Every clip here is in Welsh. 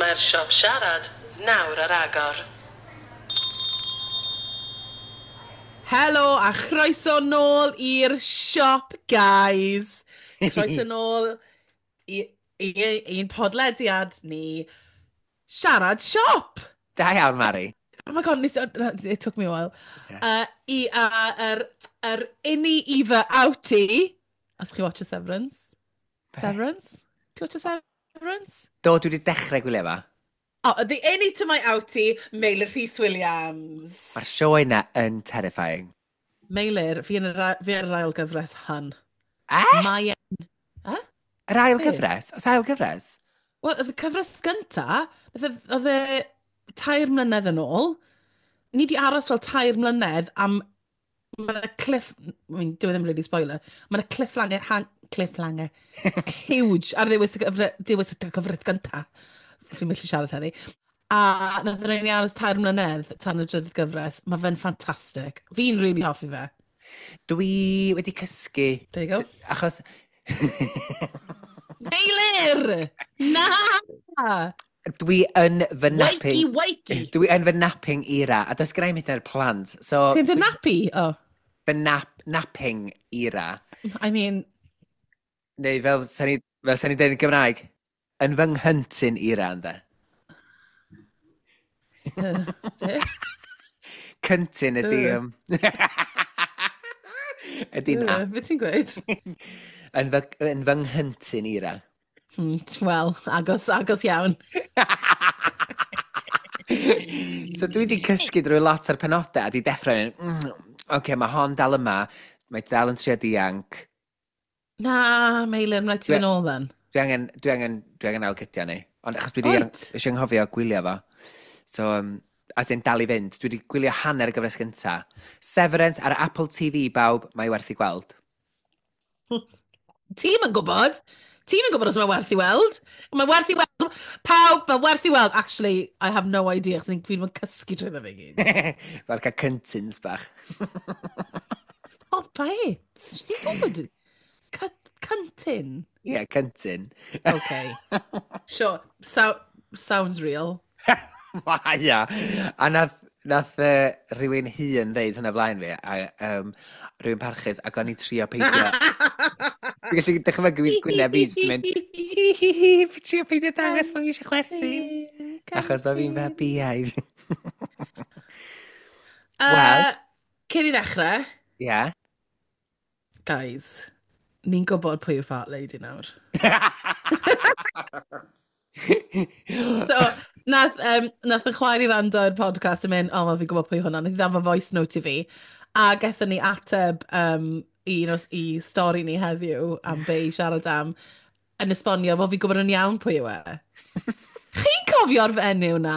Mae'r siop siarad nawr ar agor. Helo a chroeso nôl i'r siop, guys. Croeso nôl i, i, i'n podlediad ni, Siarad Siop. Da iawn, Mari. Oh my God, nes, it took me a while. Yeah. I, yr innie Eva outie. Os chi watch Severance? Severance? Ti watch Severance? Do, dwi wedi dechrau gwylio fa. Oh, the innie to my outie, Meilir Rhys Williams. Mae'r sioe yna yn terrifying. Meilir, fi, yn yr, fi ar yr ail gyfres hun. Eh? Mae e'n... Eh? Yr ail gyfres? Os ail gyfres? Wel, oedd y cyfres gynta, oedd e 3 mlynedd yn ôl. Ni di aros fel 3 mlynedd am. Mae'n cliff... I mean, dyw e ddim really spoiler. Mae'n cliffhanger, hang, cliffhanger huge ar ddiwedd y gyfres, diwedd y gyfres gynta. Fi'n mynd i siarad heddi. A nath ni aros 3 mlynedd tan y drydydd gyfres. Mae fe'n ffantastig. Fi'n really hoffi fe. Dwi wedi cysgu. There you go. Achos Meilir! Na! Dwi yn fy napping. Wakey, wakey! Dwi yn fy napping era, a does gen i ddim plant. So, Ti'n dy nappy? Oh. Fy napping era. I mean. Neu fel sa'n ni dweud yn Gymraeg, yn fy nghyntyn era, ynddo. Cyntyn ydy... Ydy nap. Be ti'n gweud? Yn fy nghyntyn era. Wel, agos, agos iawn. So dwi wedi cysgu drwy lot ar penodau a di deffro yn, oce, okay, mae hon dal yma, mae dal yn trio dianc. Na, Meilir, mae'n rhaid ti fynd ôl then. Dwi angen ailgydio ni. Ond achos dwi wedi eisiau nghofio gwylio fo. So, as in dal i fynd, dwi wedi gwylio hanner y gyfres gynta. Severance ar Apple TV, bawb, mae werth i gweld. Ti'n yn gwybod? Ti'n yn gwybod os mae werth i weld? Mae werth i weld. Pawb, mae werth i weld. Actually, I have no idea, achos fi ddim yn cysgu trwy fe gyd. Fel cael cyntins bach. Stop it. Ti'n gwybod? Cyntyn? Ie, yeah, cyntyn. Okay. Sure. So, sounds real. Ia. A nath rhywun hun ddeud hwnna flaen fi, a rhywun parchus, ac o'n i trio peidio. Dwi'n gallu dychmygu gwyneb fi jyst yn mynd, hi hi hi, fi trio peidio dangos bod fi eisiau chwerthin. Achos mae fi'n fabiaidd. Wel. Cyn i ddechrau. Ie. Yeah. Guys, ni'n gwybod pwy yw Fart Lady nawr. So, nath y chwaer i rando i'r podcast yn mynd, "O, oh, fi'n gwybod pwy hwnna." Nath i ddafo voice note i fi. A gaethon ni ateb i, un i stori ni heddiw am be i siarad am, yn esbonio, wel, fi'n gwybod yn iawn pwy yw e. Chi'n cofio'r fenyw na?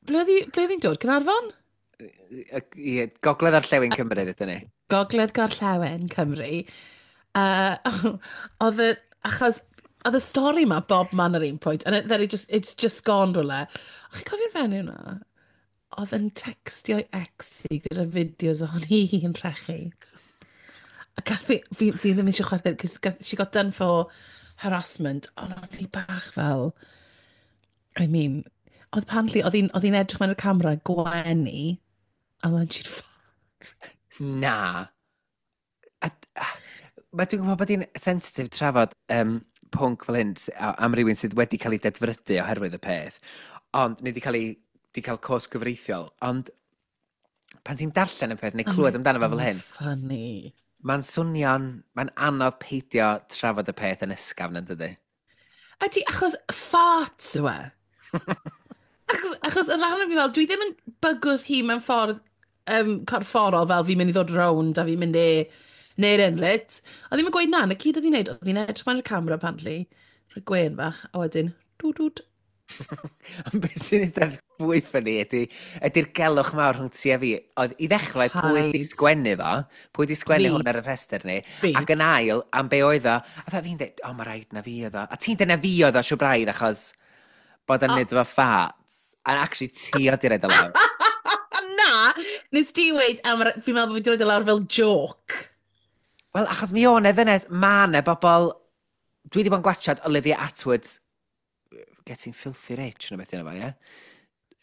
Ble oedd hi'n dod? Caernarfon? Ie, Gogledd Orllewin Cymru, ydyn ni. Gogledd Gorllewin Cymru. Oedd y, achos oedd y stori ma bob man ar un pwynt, and then it's just gone rhywle. Chi'n cofio'r fenyw na? Oedd yn textio'i ex hi gyda fideos ohoni hi yn rhechu. A gath fi ddim eisiau chwerthin, cos she got done for harassment, ond oedd hi bach fel, I mean, oedd apparently, oedd hi'n edrych mewn y camera gwenu, and then she'd fart. Na. A dwi'n gwybod bod hi'n sensitif trafod pwnc fel hyn am rywun sydd wedi cael ei dedfrydu oherwydd y peth, ond neu wedi cael cos gyfreithiol, ond pan ti'n darllen y peth neu clywed amdano fo fel hyn, Funny. mae'n swnio'n, mae'n anodd peidio trafod y peth yn ysgafn, yn dydy? Ydy, achos farts yw e. Achos y rhan o fi fel, dwi ddim yn bygwth hi mewn ffordd corfforol fel fi'n mynd i ddod rownd a fi'n mynd i neu'r enrit. A ddim yn gweud na, na gyd oedd hi'n neud, oedd hi'n edrych mewn i'r camera apparently, rhoi gwên bach, a wedyn, dwd dwd. Ond beth sy'n edrych fwy funny ydy'r gelwch mawr rhwng ti a fi. Oedd i ddechrau pwy di Paid. sgwennu fo, pwy di sgwennu Fi. hwn ar y rhestr ni, Fi. ac yn ail, am be oedd o, a dda fi'n dweud, "O, mae rhaid na fi oedd o." A ti'n dweud na fi oedd o, siw braidd, achos bod yn neud efo farts. A actually ti oedd i roid o lawr. Na, nes ti weid, fi'n meddwl bod fi wedi rhoi o lawr fel joke. Wel, achos mi o'n e ddynes, ma' 'na bobl. Dwi wedi bod yn gwachod Olivia Attwood's Getting Filthy Rich, neu beth yna fo, ie?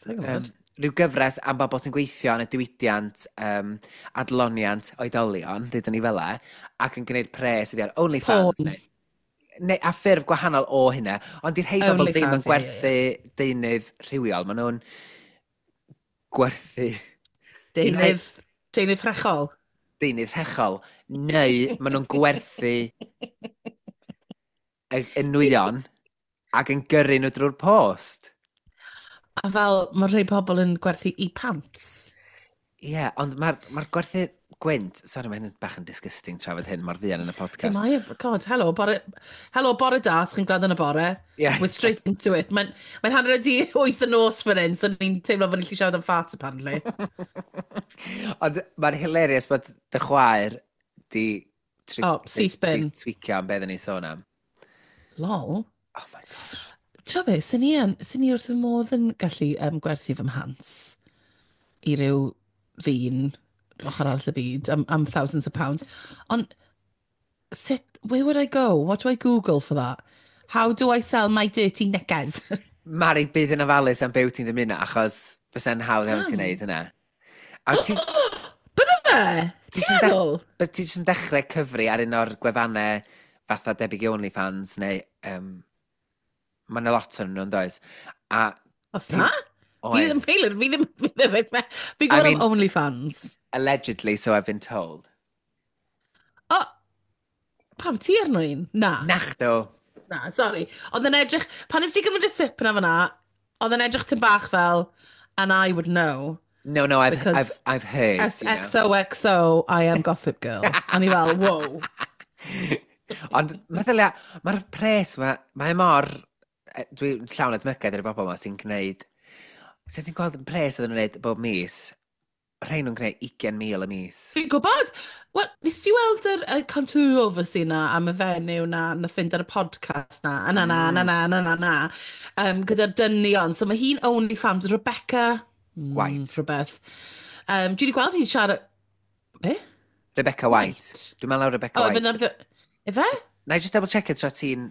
Sa'n gwybod. Rhyw gyfres am bobl sy'n gweithio yn y diwydiant adloniant oedolion, ddeudwn ni fel e, ac yn gwneud pres iddi ar OnlyFans. Porn. Neu, a ffurf gwahanol o hynna, ond di'r rhai bobl ddim yn OnlyFans, ie, gwerthu deunydd rhywiol, maen nhw'n gwerthu Deunydd rhechol. Deunydd rhechol, neu maen nhw'n gwerthu y nwyon ac yn gyrru nhw drwy'r post. A fel, mae rhai pobl yn gwerthu i pants. Ie, yeah, ond mae'r ma gwerthu gwynt. Sorry, mae hyn yn bach yn disgusting trafod hyn mor fuan yn y podcast. Mae, God, helo, bore, helo, bore da, os chi'n gwrando yn y bore. Yeah. We're straight into it. Mae'n mae 7:30 y nos fan hyn, so ni'n teimlo bod ni'n gallu siarad am farts, apparently. Ond mae'n hilarious bod dy chwaer di, Oh, syth bin. Di tweakio am beth o'n i'n sôn am. Lol. Oh my gosh. Ti'n be, sy'n ni, sy'n ni wrth fy modd yn gallu gwerthu fy mhants i ryw ddyn ochr arall y byd am thousands of pounds. Ond sut, where would I go? What do I Google for that? How do I sell my dirty knickers? Mari, bydd yn ofalus am byw ti'n ddymuno, achos fysa'n hawdd iawn ti'n Pam? neud hynna. A ti Bydde fe? Ti Ti'n jyst yn meddwl? But ti jyst yn dechrau cyfri ar un o'r gwefannau fatha debyg i OnlyFans neu... Mae yna lot o'n nhw, yn does? A Os na? Fi ddim, oes, Taylor, fi ddim, fi ddim, fi'n I gwybod am mean- OnlyFans. Allegedly, so I've been told. O, pam ti arno un? Na. Nachdo. Na, sorry. Oedd yn edrych, pan nes ti gymryd y sip na fyna, oedd yn edrych tym bach fel, and I would know. No, I've, Because I've heard, you know. SXOXO, I am Gossip Girl. A ni fel, whoa. Ond meddylia, mae'r pres ma, mae mor... Dwi'n llawn edmygedd i'r bobl yma sy'n gwneud. Sut ti'n gweld y pres oedden nhw'n gwneud bob mis? Rhain nhw'n gwneud 20,000 y mis. Fi'n gwybod. Wel, nes ti weld yr controversy na am y fenyw na, na fynd ar y podcast na, a na na, na na, na na, na, gyda'r dynion. So mae hi'n OnlyFans, Rebecca White. Rhywbeth. Dwi wedi gweld hi'n siarad. Be? Rebecca White. White. Dwi'n meddwl Rebecca O, White. efe na'r. Efe? Na i just double check it tra ti'n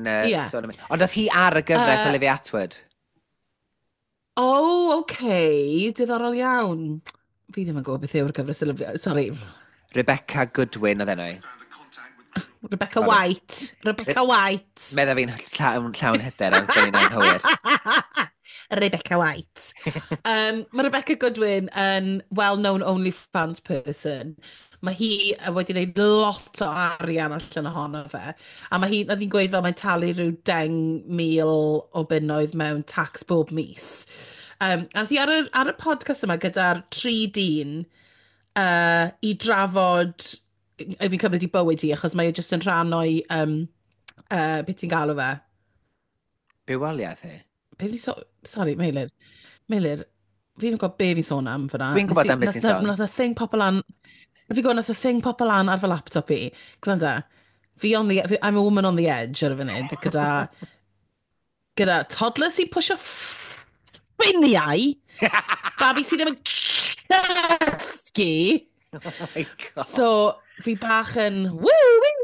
Ie. sôn am. Ond oedd hi ar y gyfres Olivia Atwood. Oh, okay. Diddorol iawn. Fi ddim yn gwybod beth yw'r gyfres Olivia. Sorry. Rebecca Goodwin oedd enw hi. Rebecca Sorry. White. Rebecca White. Medda fi'n llawn hyder am dweud anghywir. Rebecca White. Mae Rebecca Goodwin yn well-known OnlyFans person. Mae hi wedi gwneud lot o arian allan ohono fe. A mae hi, oedd hi'n gweud fel mae'n talu rhyw 10,000 o bunnoedd mewn tax bob mis. A nath hi ar y podcast yma gyda'r tri dyn i drafod, fi'n cymryd i bywyd hi, achos mae e jyst yn rhan o'i, beth ti'n galw fe? Bywoliaeth hi. Be fi so... Sorry, Meilir. Meilir, fi ddim yn gwybod be fi'n sôn am fyna. Dwi'n gwybod am beth ti'n sôn. Nath y thing pop lan. Fi'n gwybod nath y thing pop lan ar fy laptop i. Gwranda, fi on the, fi, I'm a woman on the edge ar y funud, gyda toddler sy'n pwysio spiniau, babi sydd ddim yn cysgu. Oh my God. So, fi bach yn, woo, woo.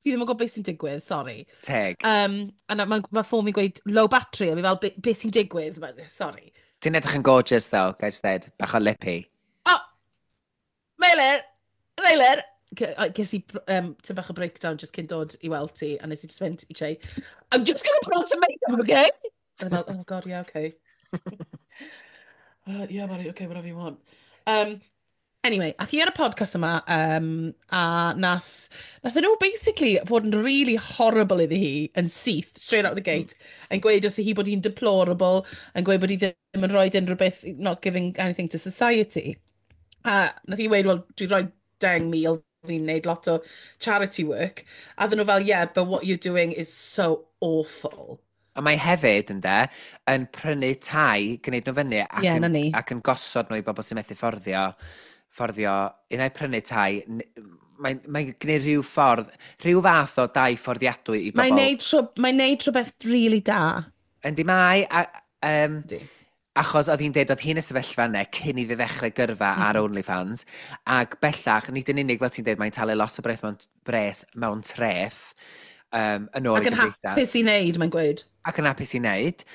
Fi ddim yn gwybod beth sy'n digwydd, sorry. Teg. A mae ma ffôn fi'n gweud low battery, a fi fel, be sy'n digwydd? Sorry. Ti'n edrych yn gorgeous though, gai just dweud. Bach o lippy. Oh! Meilir! Meilir! Ges i tym bach o breakdown just cyn dod i weld ti, a nes i just fynd i Che, "I'm just gonna put on some makeup, okay?" A fel, "Oh God, yeah, okay. Yeah, Mari, okay, whatever you want." Anyway, ath hi ar y podcast yma, a nath nhw basically fod yn really horrible iddi hi yn syth, straight out the gate, yn gweud wrthi hi bod hi'n deplorable, yn gweud bod hi ddim yn rhoi unrhyw beth, not giving anything to society. A nath hi weud, "Wel, dwi'n rhoi 10,000, fi'n neud lot o charity work." A ddyn nhw fel, "Yeah, but what you're doing is so awful." A mae hefyd, ynde, yn prynu tai, gwneud nhw fyny, ac, Ie, na yn, ni. ac yn gosod nhw i bobl sy'n methu fforddio, un ai prynu tai, mae'n mae gwneud rhyw ffordd, rhyw fath o dai fforddiadwy i bobl. Mae'n neud rhywbeth really da. Yndi mae, a, Yndi. achos oedd hi'n deud oedd hi'n y sefyllfa yna cyn iddi ddechrau gyrfa ar OnlyFans, ac bellach, nid yn unig fel ti'n deud, mae'n talu lot o bres mewn treth. yn ôl Ac i yn gymdeithas. hapus i wneud, mae'n gweud. Ac yn hapus i wneud.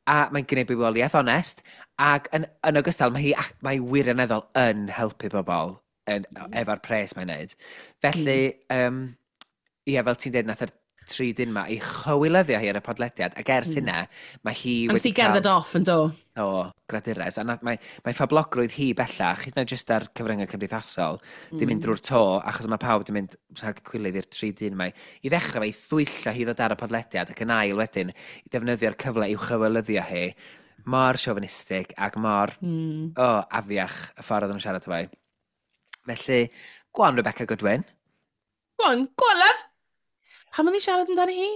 A mae'n gwneud bywoliaeth onest. Ac yn ogystal, mae hi, mae hi wirioneddol yn helpu bobl yn, efo'r pres mae'n wneud. Felly, ie, fel ti'n dweud, nath yr tri dyn ma i chywilyddio hi ar y podlediad, ac ers hynna, mae hi A nath wedi hi gerdded off yn do. O, gradures. A nath, mae phoblogrwydd hi bellach, hyd yn oed jyst ar cyfryngau cymdeithasol, di mynd drwy'r to, achos mae pawb di mynd rhag cwilydd i'r tri dyn mae. I ddechrau fe, i thwyllo hi ddod ar y podlediad, ac yn ail wedyn, i ddefnyddio'r cyfle i'w chywilyddio hi, mor chauvinistic ac mor oh, afiach y ffordd oedden nhw'n siarad efo hi. Felly, go on, Rebecca Goodwin. Go on, go on, love! Pam o'n i siarad amdani hi?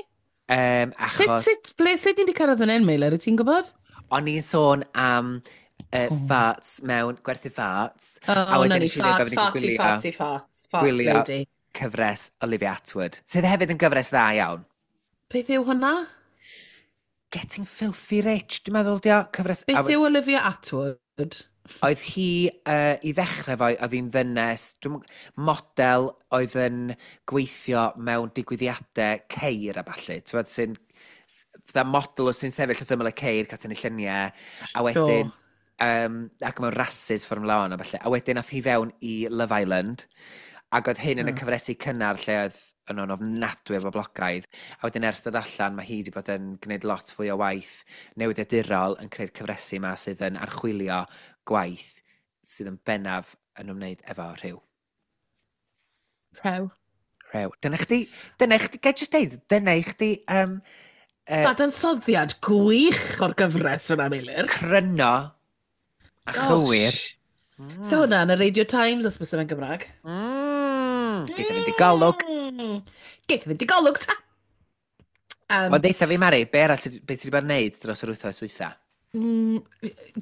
Achos Sut ni wedi cyrraedd fan hyn, Meilir, wyt ti'n gwybod? O'n i'n sôn am farts mewn gwerthu farts. Oh, a wedyn na ni, nes i ddeud farts, bod fi 'di fartsy, gwylio- fartsy, farts, farts gwylio lady. cyfres Olivia Atwood, sydd hefyd yn gyfres dda iawn. Beth yw hwnna? Getting Filthy Rich, dwi'n meddwl, dio, cyfres. Beth yw Olivia Atwood? Oedd hi, i ddechrau fo, oedd hi'n ddynes, model oedd yn gweithio mewn digwyddiadau ceir a ballu. Ti'n gwbod, sy'n, fatha model sy'n sefyll wrth ymyl y ceir, cael tynnu lluniau, a wedyn, ac mewn rhasys Formula 1 a ballu. A wedyn ath hi fewn i Love Island, ac oedd hyn yn y cyfresi cynnar lle oedd yn nhw'n ofnadwy o boblogaidd. A wedyn ers dod allan, mae hi wedi bod yn gwneud lot fwy o waith newyddiadurol yn creu'r cyfresi yma sydd yn archwilio gwaith sydd yn bennaf yn ymwneud efo rhyw. Rhew. Rhyw. Dyna chdi, gai just deud, dyna i chdi Dadansoddiad gwych o'r gyfres yna, Meilir. Cryno a chywir. Gosh. So hwnna yn y Radio Times, os bys yma'n Gymraeg. Geith fynd i golwg. Geith fynd i golwg, ta! Wel, deutha fi, Mari, be arall, be ti wedi bod yn neud dros yr wythnos dwytha?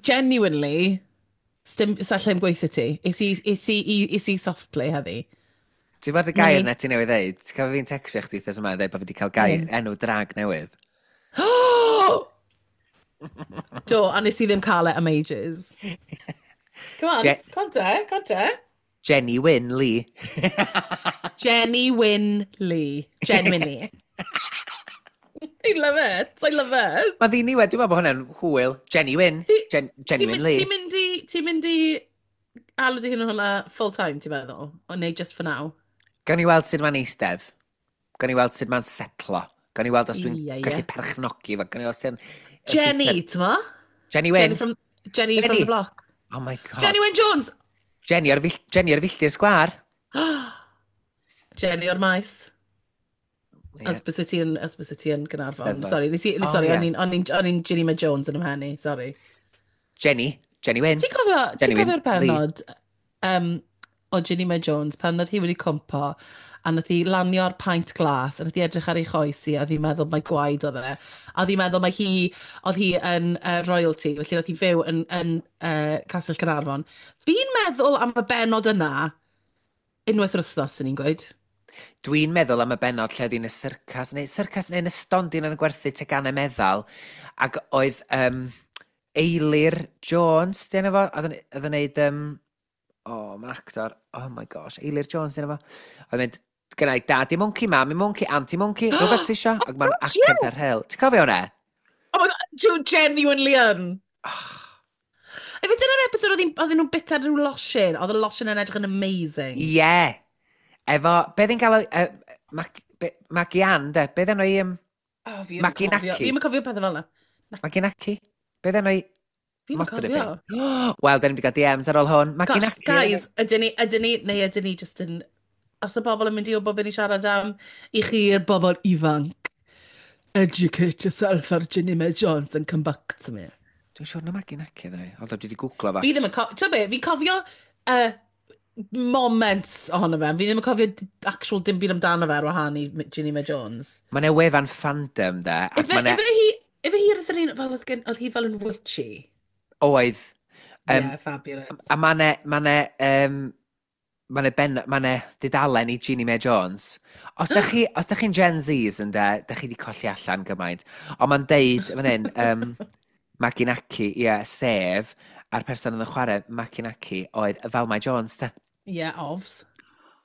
Genuinely, sdim, sa allai'm gweithio ti. Is i soft play heddi. Ti'n bod y gair Ni. na ti newydd ddeud? Ti'n cofio fi'n textio chdi wythnos yma yn dweud bod fi wedi cael gair, enw drag newydd? Do, a nes i ddim cael e am ages. Come on, come te, come te. Jenny Wyn Lee. Jenny Wyn Lee. Genuinely. I love it, I love it. Mae ddiniwed, dwi'n meddwl bod hwnna'n hwyl. Jenny Wyn. Jenny Ti'n Wyn Lee. Ti'n mynd i alw dy hun yn hwnna full time, ti'n meddwl? O neu just for now? Gawn ni weld sut mae'n eistedd. Gawn ni weld sut mae'n setlo. Gawn ni weld os dwi'n Ie, ie. gallu perchnogi fo. Gawn ni weld sut Jenny, ti'n mo? Jenny Wyn. Jenny from Jenny. the block. Oh my God. Jenny Wyn Jones! Jenny o'r filltir sgwar. Jenny o'r maes. Ie. Os bys ti yn Gaernarfon. Steddfod. Sorry, nes i, Oh, sorry, ie. o'n i'n Ginny Mae Jones yn ymhen i, sorry. Jenny. Jenny Wyn. Ti'n Jenny Wyn cofio'r bennod o Ginny Mae Jones pan oedd hi wedi cwmpo a nath hi lanio ar paint glas a nath hi edrych ar ei choes hi a oedd hi'n meddwl mai gwaed oedd e. A oedd hi'n meddwl mai hi, oedd hi yn royalty, felly oedd hi fyw yn Castell Caernarfon. Fi'n meddwl am y bennod yna unwaith yr wythnos, sy'n ni'n gweud. Dwi'n meddwl am y bennod lle oedd hi'n y syrcas, neu syrcas neu yn y stondin oedd yn gwerthu teganau meddal, ac oedd Eilir Jones, di enw fo? Oedd yn neud, oh, mae'n actor, oh my gosh, Eilir Jones, di enw fo? Oedd yn mynd, gynna i daddy monkey, mammy monkey, auntie monkey, rhywbeth ti isio? Ac mae'n God, acen ar hel. Ti'n cofio hwnna? Oh my God, dwi'n genuinely yn. Efe dyna'r episode oedd nhw'n bita rhyw losin, oedd y losin yn edrych yn amazing. Ie. Yeah. Efo, be ddyn gael o, Maggie Ann, de? Be ddyn nhw i, Oh, fi ddim yn Maki cofio. Naki. Fi ddim yn cofio pethau fel yna. Maggie Naki? Be ddyn nhw i Fi ddim yn modryb cofio. hi? Wel, dyn ni wedi cael DMs ar ôl hwn. Maggie Gosh, Naki. guys, ydyn ni, neu ydyn ni just yn... Os y bobl yn mynd i wybod beth ni siarad am, i chi'r bobl ifanc, educate yourself ar Ginny Mae Jones and come back to me. Dwi'n siŵr na Maggie Naki ydyn ni. Ond dwi wedi googlo fo. Fi ddim yn cofio, ti'n be, fi'n cofio moments ohono fe. Fi ddim yn cofio actual dim byd amdano fe ar wahân i Ginny Mae Jones. Mae 'na wefan fandom, de. Ac Ife, mae 'na ife hi, ife hi oedd yr un, fel oedd hi fel yn witchy? Oedd. Yeah, fabulous. A mae 'na dudalen i Ginny Mae Jones. Os da chi'n Gen Zs yn de, da chi wedi colli allan gymaint. Ond mae'n deud, fan hyn, Maggie Naki, ie, yeah, sef, a'r person yn y chwarae Maggie Naki oedd Valmai Jones, de. Yeah, ofs.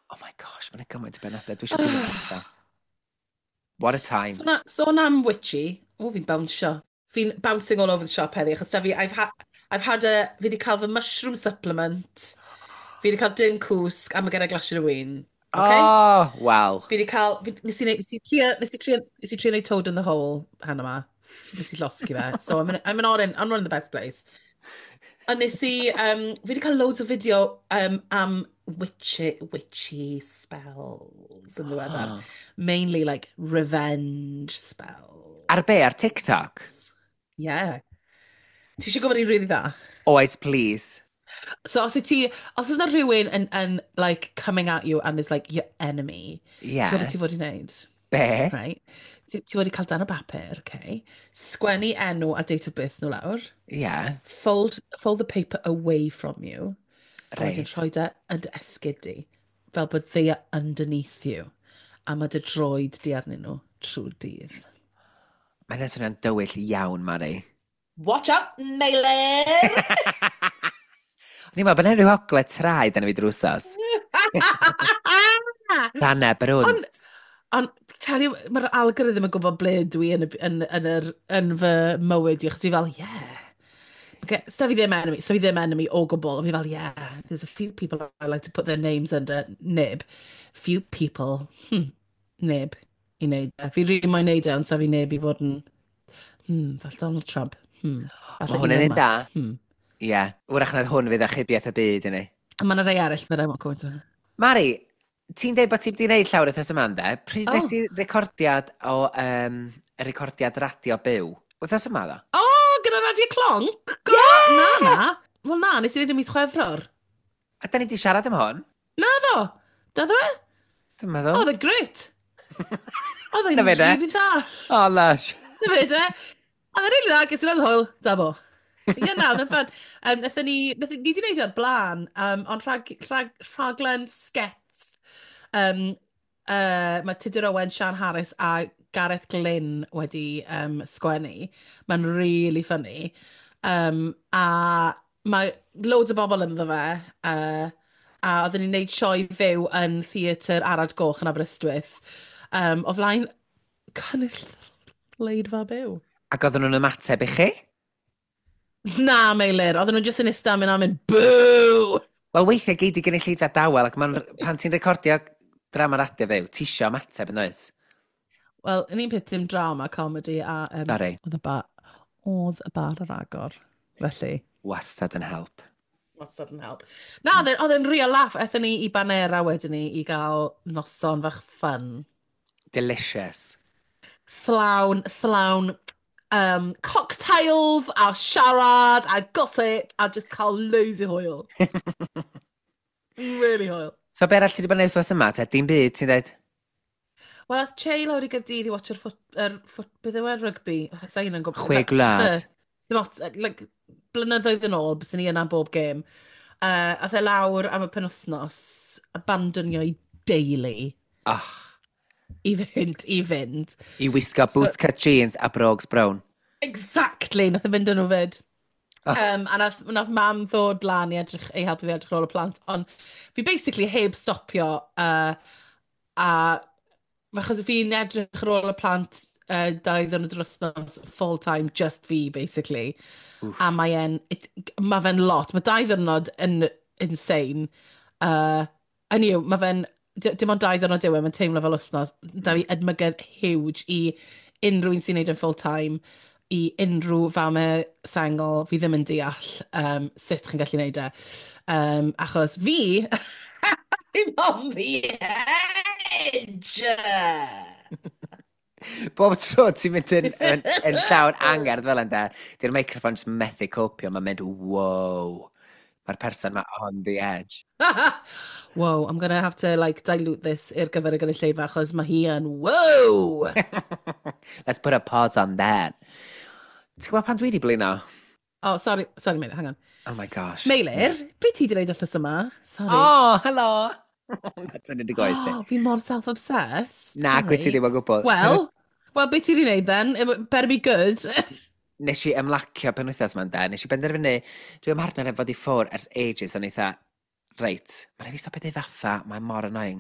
Oh my gosh, mae'n gymaint o benodau. Dwi eisiau gwylio pethau. What a time. Sôn am witchy, o, fi'n bownsio. Fi'n bouncing all over the shop heddi, achos da fi, I've had a, fi wedi cael fy mushroom supplement, fi wedi cael dim cwsg, a mae gen i glasiad o win. Okay? Oh, wel. Fi wedi cael, fi, nes i, nes i trio, nes i trio neud toad in the hole heno 'ma. Nes i llosgi fe. So I'm not in the best place. A nes i, fi wedi cael loads o fideo am witchy spells yn ddiweddar. Mainly like revenge spells. Ar be? Ar TikTok? Yeah. Ti eisiau gwybod un really dda? Oes, please. So os oes na rhywun yn like coming at you and is like your enemy, ti'n gwybod beth ti fod i wneud? Be? Right? Ti wedi cael darn o bapur, okay? Sgwennu enw a date of birth nhw lawr. Fold the paper away from you. A wedyn rhoi e yn dy esgid di. Fel bod they are underneath you. A mae dy droed di arnyn nhw trwy'r dydd. Mae'n swnio'n dywyll iawn, Mari. Watch out, Meilir! O'n i'n meddwl, bod yna rhyw ogle traed yna fi drwsos. Dana brwnt. Ond, tell you, mae'r algorithm yn gwybod ble dwi yn, y, yn, yn, yr, yn fy mywyd i, achos fi fel, yeah. Okay, so fi ddim enemy o gwbl, ond fi fel, yeah, there's a few people I like to put their names under neb. Few people, neb i wneud e. Fi rili moyn wneud e, ond sa fi neb i fod yn, fel Donald Trump, Mae falle hwn yn Elon un da. Musk, Ie. Yeah. Wrach nad hwn fydd achubiaeth y byd i ni. A mae yna rei arall, but I won't go into it. Mari, ti'n deud bod ti wedi gwneud llawer wythnos yma, ynde? Pryd Oh. nes ti recordiad o y recordiad radio byw? Wythnos yma, ddo? O, oh, gyda Radio Clonc? Go, yeah! Na, na. Wel na, nes i wneud y mis Chwefror. A da ni wedi siarad am hwn? Na ddo. Da ddo e? Dwi'n meddwl. Oedd e'n great. Oedd e'n Na fe de. really dda. Oh, lush. Na fe de. Oedd e'n really dda, ges i'n hwyl, da bo. Ie, na, oedd e'n fun. Nathon ni wedi gwneud e ar blaen, ond rhaglen skets. Mae Tudur Owen, Sian Harris a Gareth Glyn wedi sgwennu. Mae'n really funny. A mae loads o bobl ynddo fe. A oedden ni'n neud sioe fyw yn Theatr Arad Goch yn Aberystwyth. O flaen cynulleidfa byw. Ac oedden nhw'n ymateb i chi? Na, Meilir, oedden nhw jyst yn ista mynd a mynd, boo! Wel, weithiau gei di gynulleidfa dawel, ac ma'n, pan ti'n recordio drama radio fyw, ti isio ymateb yn oes? Wel, yn un peth dim drama, comedy a... Sorry. Oedd y bar ar agor, felly. Wastad yn help. Wastad yn help. Na, oedd e'n real laugh. Aethon ni i Banera wedyn ni i gael noson fach fun. Delicious. Llawn cocktails a siarad a gossip a just cael loads o hwyl. Really hwyl. So, be arall ti wedi bod yn wythnos yma, te? Dim byd, ti'n dweud? Wel, ath Che lawr i Gaerdydd i watcho'r ffwt, er, ffwt, beth yw e, rygbi? Sa i'n yn gwybod. Chwe Gwlad. Dim ots, like, blynyddoedd yn ôl, byswn ni yna bob gêm. Ath e lawr am y penwthnos, abandonio i deulu Oh, i fynd. I wisgo bootcut jeans a brogues brown. Exactly, nath e fynd yn nhw fyd. Oh. A nath mam ddod lan i helpu fi edrych ar ôl y plant, ond fi basically heb stopio, a achos fi'n edrych ar ôl y plant 2 ddiwrnod yr wythnos, full time, just fi, basically. Oof. A mae fe'n lot. Mae 2 ddiwrnod yn insane. Anyway, mae fe'n, dim ond 2 ddiwrnod yw e, mae'n teimlo fel wythnos. Da fi edmygedd huge i unrhyw un sy'n neud yn full time, i unrhyw famau sengl, fi ddim yn deall sut chi'n gallu neud e. Achos fi, I'm on the edge! Bob tro ti'n mynd yn llawn angerdd fel yna, di'r microphone just methu copio, mae'n mynd, wow, mae'r person ma on the edge. Whoa, I'm gonna have to like dilute this i'r gyfer y gynulleidfa achos mae hi yn wow! Let's put a pause on that. Ti'n gwybod pan dwi wedi blino? Oh, sorry, sorry Meilir, hang on. Oh my gosh. Meilir, be ti wedi gwneud wythnos yma? Sorry. Oh, hello! That's yn y goes di. Oh, fi mor self-obsessed. Na, gwy ti Sorry. ddim o gwbl. Well, be ti wedi gwneud then? It better be good. Nes i ymlacio penwythnos ma'n da. Nes i benderfynu, dwi am partner efo fod i ffwr ers ages, o'n eitha, Reit, mae'n rhaid fi stopio deud fatha, mae'n mor annoying.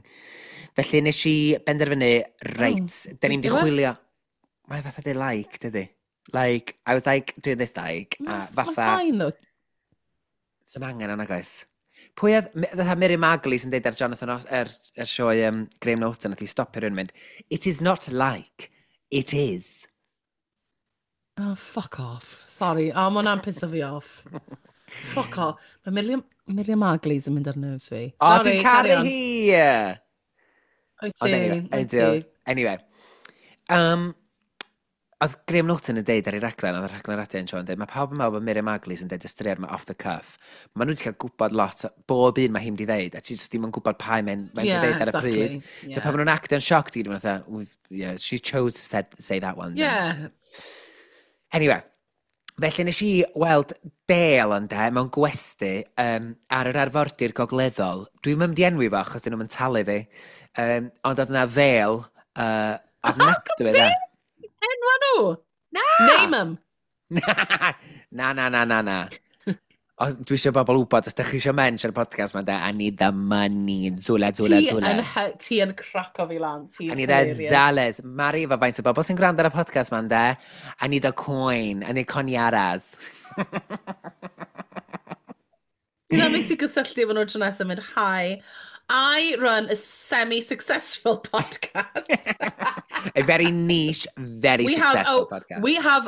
Felly nes i benderfynu, reit, oh, da ni'n di chwilio. Mae'n fatha deud like, dydy? Like, I was like, do this like, a fatha. Mae'n fine though. Sa'm angen yna, guys. Pwy oedd, fatha Miriam Margolyes yn deud ar Jonathan, er sioe Graham Norton, nath i stopio rhywun mynd, "It is not like, it is." Oh, fuck off. Sorry. Oh, mae hwnna'n piso fi off. Fuck off. Mae Miriam Margolyes yn mynd ar nerves fi. O, oh, dwi'n caru hi! Wyt ti, wyt ti. Anyway. Oedd Graham Norton yn deud ar ei raglen, oedd y rhaglen radio yn sioe yn deud, mae pawb yn meddwl bod Miriam Margolyes yn deud y straeon yma off the cuff. Mae nhw wedi cael gwybod lot, bob un mae hi'n wedi ddeud, a ti jyst ddim yn gwybod pa mae'n dweud ar y pryd. So pan maen nhw'n actio'n shocked, gyd, maen nhw'n "Yeah, she chose to say that one." Anyway, felly nes i weld Dale yn de, mewn gwesty ar yr arfordir gogleddol. Dwi'n mynd i enwi fo, achos dyn nhw'n talu fi. Ond oedd yna Ddale ofnadwy de. Enwa nhw? Na! Name 'em. Na, na, na, na, na. O, dwi eisiau bobl wybod, os ydych chi eisiau mensh ar y podcast ma'n de, I need the money, zula, zula, zula. Ti yn craco fi lan. Ti'n I need the hilarious. Dollars. Mari, efo faint o bobl sy'n gwrando ar y podcast ma'n de, I need a coin, I need coniaras. Dwi'n mynd ti gysylltu efo nhw tro nesaf mynd, "Hi, I run a semi-successful podcast." A very niche, very We have, successful oh, podcast. we have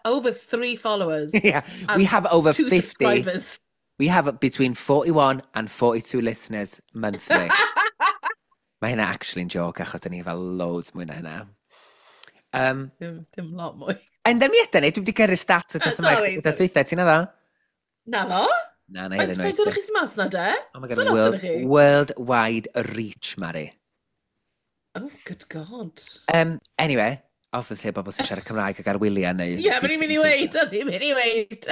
over three followers. Yeah, we have over two 50. subscribers. We have between 41 and 42 listeners monthly. Mae hynna actually'n joke achos dyn ni fel loads mwy na hynna. Dim lot mwy. Enda mi ydyn ni, dwi wedi gyrru stats wythnos yma. Sorry, Wythnos sorry. dwytha, ti'n meddwl? Na fo? Na, na, Faint hyn faint o'r chi sy'n mas na de? Oh my God, So lot world, ohonoch chi? worldwide reach, Mari. Oh, good God. Anyway, obviously, bobl sy'n siarad Cymraeg ac ar wyliau neu. Ie, yeah, mae'n i'n mynd i weid, o'n i'n mynd i weid.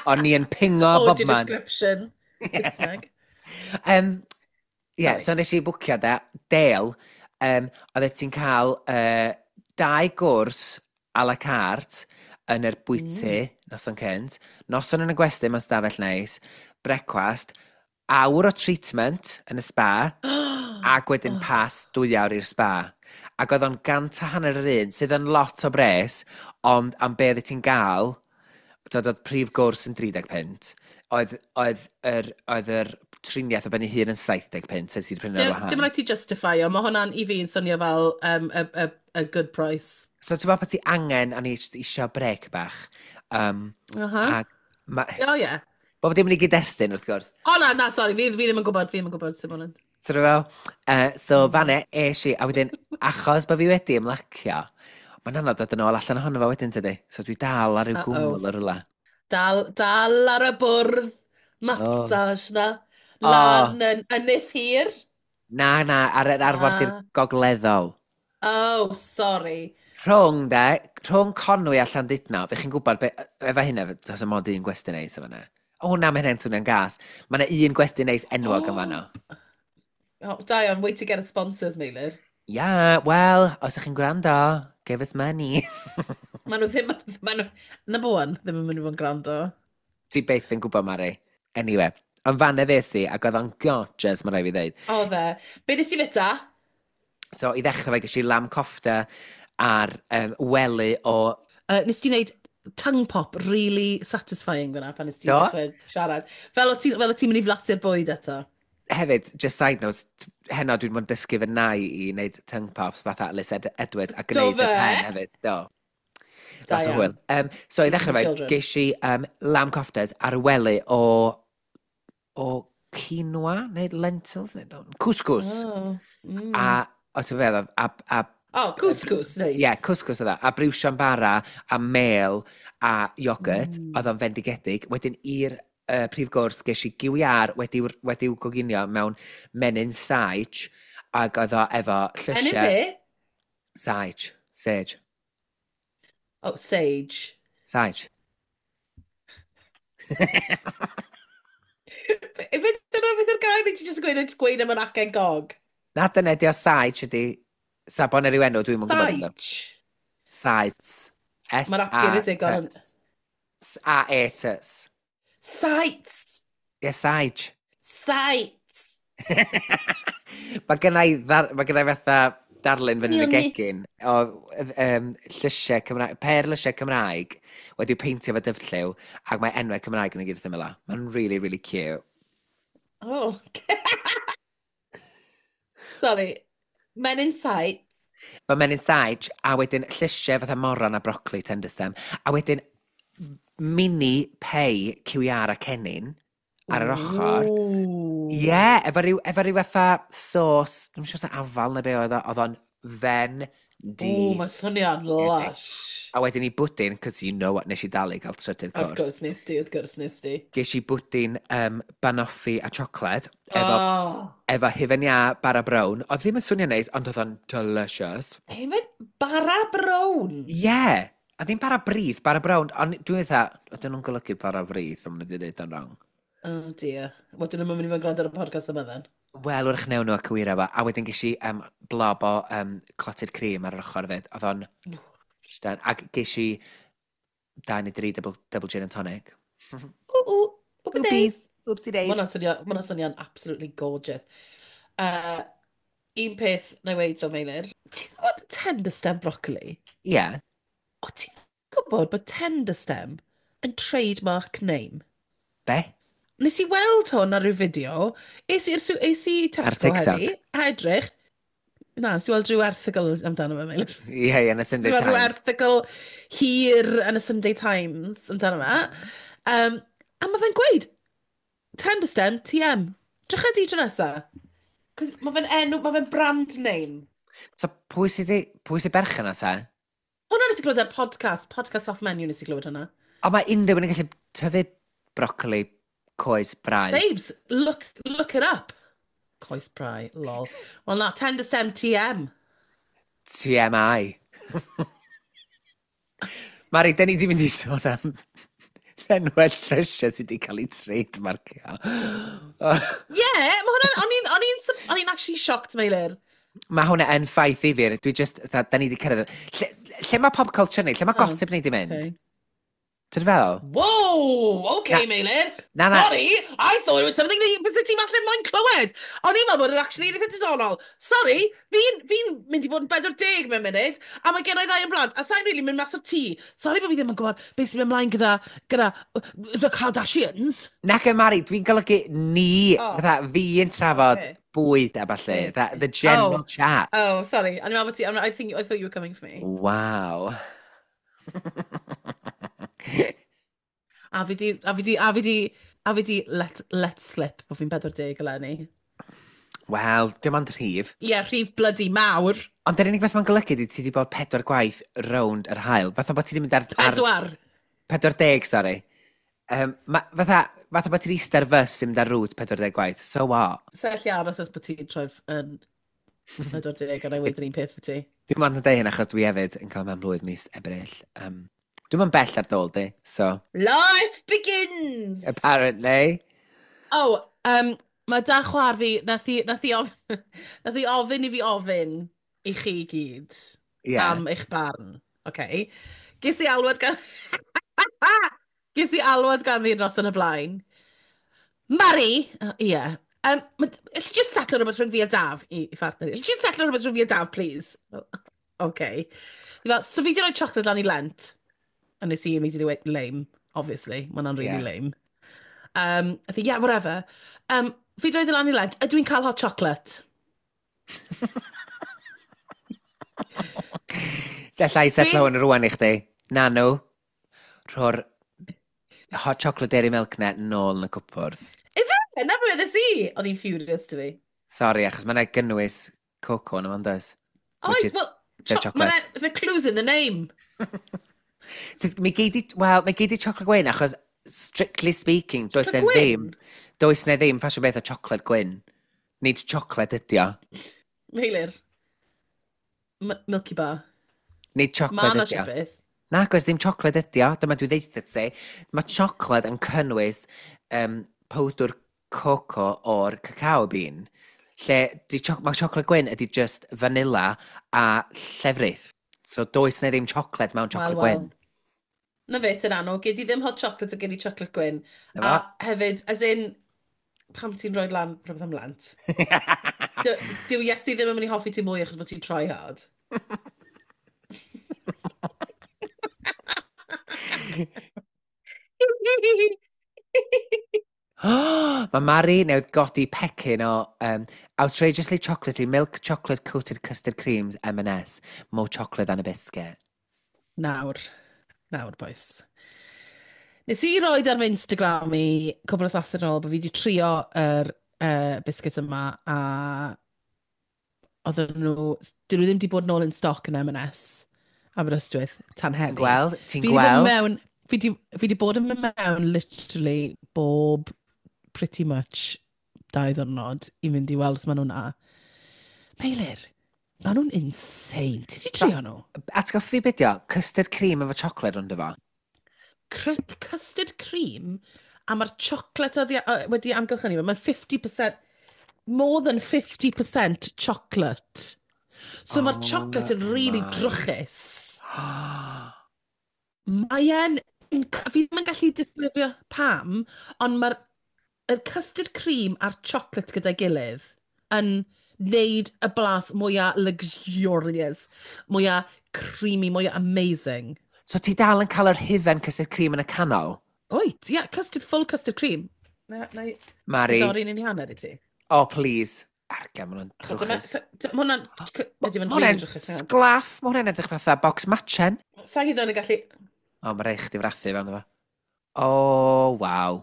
O'n i yn pingo bob Audio man. description. Saesneg. Yeah, Sorry. so nes i bwcio da, Dale, oedd ti'n cael dau gwrs à la carte yn yr bwyty noson cynt, noson yn y gwesty mewn stafell neis, brecwast, awr o treatment yn y spa, ac wedyn pas 2 awr i'r spa. Ac oedd o'n 150 yr un, sydd yn lot o bres, ond am be oedd ti'n gael, dod oedd prif gwrs yn 30 punt, oedd yr triniaeth o ben ei hun yn 70 punt, sef ti'n prynu ar Dim wahân. rhaid ti justify o, mae hwnna'n i fi yn swnio fel a good price. So ti'n meddwl bod ti angen, a ni eisiau break bach. Ac ma, O, ie. bob dim yn ei gyd-destun, wrth gwrs. O, na, na, sorry, fi ddim yn gwybod, fi ddim yn gwybod sut ma hwnna'n. So fel, so fanne es i, a wedyn, achos bod fi wedi ymlacio, mae'n anodd dod yn ôl allan ohono fo wedyn, tydi? So dwi dal ar ryw Uh-oh. gwmwl o rywle. Dal ar y bwrdd massage na. Lan yn Ynys Hir. Na, na, ar yr arfordir Ah. gogleddol. Oh, sorry. Rhwng, de, rhwng Conwy a Llandudno, fe chi'n gwybod, be, efo hynna, does dim ond un gwesty neis o fanna. O, na, mae hynny'n swnio'n gas. Mae yna un gwesty neis enwog yn fanno. Oh, da iawn, wait to get a sponsors, Meilir. Yeah, well, os ydych chi'n gwrando, give us money. Maen nhw ddim, maen nhw, number one, ddim yn mynd i fod yn gwrando. Ti byth yn gwybod, Mari. Anyway, ond fanna ddes i, ac oedd o'n gorgeous, mae rhaid fi ddeud. Oedd e. Be nes i fita? So, i ddechrau fe, ges i lamb kofta ar wely o. Nes ti wneud tongue pop really satisfying fyna pan nes ti Do? ddechrau siarad. Fel o ti'n mynd i flasu'r bwyd eto. Hefyd, just side note, heno dwi'n mynd dysgu fy nai i wneud tongue pops fatha Liz Edwards a Do gwneud y fe? pen hefyd. Do. Da Lot o iawn. hwyl. So i ddechrau fe, Children. ges i lamb koftas ar wely o quinoa, neu lentils, neu no, couscous. Oh. A, o ti'n feddwl, a Oh, couscous, nice. Ie, yeah, couscous oedd o. A briwsion bara, a mel, a iogurt, oedd o'n fendigedig. Wedyn i'r prif gwrs, ges i gyw iâr wedi'w goginio mewn menyn sage, ac oedd o efo Menyn llysiau. be? Sage. Sage. Oh, sage. Sage. Be dyna beth yw'r gair neu ti jyst yn gweud, jyst gweud am yr acen gog? Na, dyna ydi o sage ydi. Sabon ar yw enw, dwi'n mwyn gwybod amdano. Sage. Sage. S Mae'r acen A ydi T S. A-E-T S. Sites. Ie, sage. Sight! Mae gennai fatha darlun fyny yn y gegin o llysiau Cymraeg, per lysiau Cymraeg wedi'w peintio efo dyfrlliw ac mae enwau Cymraeg yn y gyd wrth ymyl o. Mae'n really, really cute. Oh. Sorry. Men in Sight. Mae Men in Sight, a wedyn llysiau fatha moron a brocoli tender stem, a wedyn mini pei QR a cennin ar yr ochr. Ie, yeah, efo ryw fatha sauce, dwi'n siŵr sa afal neu be oedd o, oedd o'n fen di. O, mae swnio'n lush. A wedyn i bwdin, cos you know what nes i dalu cael trydydd Of cwrs. course nes di, of course nes di. Ges i bwdin banoffee a chocolate, efo hufen iâ bara brown. Oedd ddim yn swnio'n neis, ond oedd o'n delicious. Hefyd, bara brown. Ie, yeah. A ddim bara brith, bara brown. Ond dwi'n meddwl, ydyn nhw'n golygu bara brith, ond maen nhw wedi dweud o'n wrong. Oh dear. Wel, dyn nhw'n mynd i fod yn gwrando ar y podcast yma then. Wel, wrach newn nhw a cywiro fo. A wedyn ges i blob o clotted cream ar yr ochr hefyd. Oedd o'n... Ac ges i dau neu dri double gin and tonic. Ww, ww, ww, days. Oopsie days. Mae hwnna'n swnio'n absolutely gorgeous. Un peth na i weud ddo, Meilir. Ti'n gwybod tender stem broccoli? Ie. Yeah. O, ti'n gwybod bod tender stem yn trademark name? Be? Nes i weld hwn ar ryw fideo. Es i Ar Tesco TikTok? heddi, a edrych. Na, nes i weld rhyw erthygl amdano fe, Meilir. Ie, yn y Sunday Nes i weld rhyw Times. erthygl hir yn y Sunday Times amdano fe. A mae fe'n gweud, tender stem, TM. Drycha di tro nesa. Cos mae fe'n enw, mae fe'n brand name. So, pwy sy'n berchen o te? Hwna nes i glywed ar podcast, podcast off menu nes i glywed hwnna. O, mae unrhyw un yn gallu tyfu brocoli coes brau. Babes, look it up. Coes brau, lol. Wel na, tender stem TM. TMI. Mari, da ni di mynd i sôn am enwau llysiau sydd wedi cael eu trademarkio. Yeah, mae hwnna'n, o'n i'n actually shocked, Meilir. Mae hwnna yn ffaith i fi. Dwi just, da ni wedi cyrraedd. Lle mae pop culture ni? Lle mae Oh, gossip ni di mynd? Okay. Ti'n fel? Whoa, okay, Meilir. Na, na. Sorry, I thought it was something that you ti falle moyn clywed. O'n i'n meddwl bod yn actually eitha diddorol. Sorry, fi mynd i fod yn 40 mewn munud, a mae gen i ddau yn blant, a sa'n really mynd mas o'r tŷ. Sorry bod fi ddim yn gwybod beth sy'n mynd ymlaen gyda the Kardashians. Nac y Mari, dwi'n golygu ni, Oh. fatha, fi yn trafod bwyd a ballu. The general Oh. chat. Oh, sorry. O'n i'n meddwl bod ti, I thought you were coming for me. Wow. A fi di let slip bod fi'n 40 eleni. Wel, dim ond rhif. Ie, yeah, rhif bloody mawr. Ond yr unig beth mae'n golygu ydy ti wedi bod pedwar gwaith rownd yr haul. Fatha bod ti wedi mynd ar 4. 40, sorry. Fatha bod ti'n eistedd ar fws sy'n mynd ar route 40 gwaith. So what? Sa allu aros os bod ti'n troi yn 40 a na i weud yr un peth i ti. Dwi'n ond yn deud hyn achos dwi hefyd yn cael mewn blwydd mis Ebrill. Dwi'n yn bell ar dôl di, so Life begins! Apparently. Oh, mae da chwar fi, nath hi ofyn i fi ofyn i chi gyd am eich barn. Okay. Ges i alwad gan ddi'r nos yn y blaen. Mari, ie. Yeah. Alli just setlo rhywbeth rhwng fi a Daf i phartner. Alli just setlo rhywbeth rhwng fi a Daf, please? Oh, okay. Fi fel, so fi di rhoi chocolate lan i Lent. A nes i immediately went, lame, obviously. Mae hwnna'n really lame. I think, yeah, whatever. Fi di rhoi lan i Lent. Ydw i'n cael hot chocolate? Alla i setlo hwn rwan i chdi. Na nhw. Rho'r hot chocolate Dairy Milk na nôl yn y cwpwrdd. Ife? Na beth nes i? Oedd hi'n furious to fi. Sorry, achos mae'n gynnwys coco yn yma, does? Which Oes, is well, the chocolate. The clue's in the name. Mi gei di, wel, mi gei di chocolate gwyn, achos strictly speaking, does Chocolate e ddim, gwyn? does ne ddim ffasiwn beth o chocolate gwyn. Nid chocolate ydi o. Meilir. Milky Bar. Nid Ma' chocolate na ydi o. rhywbeth. Na, oes ddim chocolate ydi o. Dyma dwi ddeutha ti. Mae chocolate yn cynnwys powdr coco o'r cacao bean. Lle di mae chocolate gwyn ydi just vanilla a llefrith. So does na ddim chocolate mewn chocolate Wel, wel. gwyn. Na fe, ti'n anw. Gei di ddim hot chocolate a gei di chocolate gwyn. Na A fo. hefyd, as in, Pam ti'n rhoi lan rhywbeth am Lent? Dyw Iesu ddim yn mynd i hoffi ti mwy achos bod ti'n try hard. Mae Mari newydd godi pecyn o outrageously chocolatey milk chocolate coated custard creams M&S. More chocolate than a biscuit. Nawr. Nawr, boys. Nes i roed ar fy Instagram i cwbl o wythnosau yn ôl bod fi wedi trio yr biscuits yma a oedden nhw, dyn nhw ddim wedi bod nôl yn stoc yn M&S Aberystwyth tan Ti'n heddi. gweld? Ti'n Fi 'di bod gweld? mewn, fi 'di bod yn mynd mewn literally bob pretty much 2 ddiwrnod i fynd i weld os maen nhw'n na. Meilir, maen nhw'n insane. Ti 'di trio nhw? Atgoffa fi beth o, custard cream efo chocolate rownd efo. Custard cream a mae'r chocolate oddi, wedi amgylchynu fe. Mae'n 50%, more than 50% chocolate. So mae'r Oh chocolate yn really my. drwchus. Mae e'n... Fi ddim yn gallu disgrifio pam, ond mae'r y custard cream a'r chocolate gyda'i gilydd yn neud y blas mwyaf luxurious, mwyaf creamy, mwyaf amazing. So ti dal yn cael yr hufen custard cream yn y canol? Wyt, ie, yeah, custard, full custard cream. Na i Mari, dorri un i hanner i ti. Oh please. Arga, maen nhw'n Achos dyma- drwchus. Mae hwnna'n... Ydy, mae'n Ma' hwnna'n rili drwchus. Hang on. sglaff, mae hwnna'n edrych fatha box machen. Sa i hyd yn gallu. O, mae rhaid chdi frathu fewn efo. O, waw.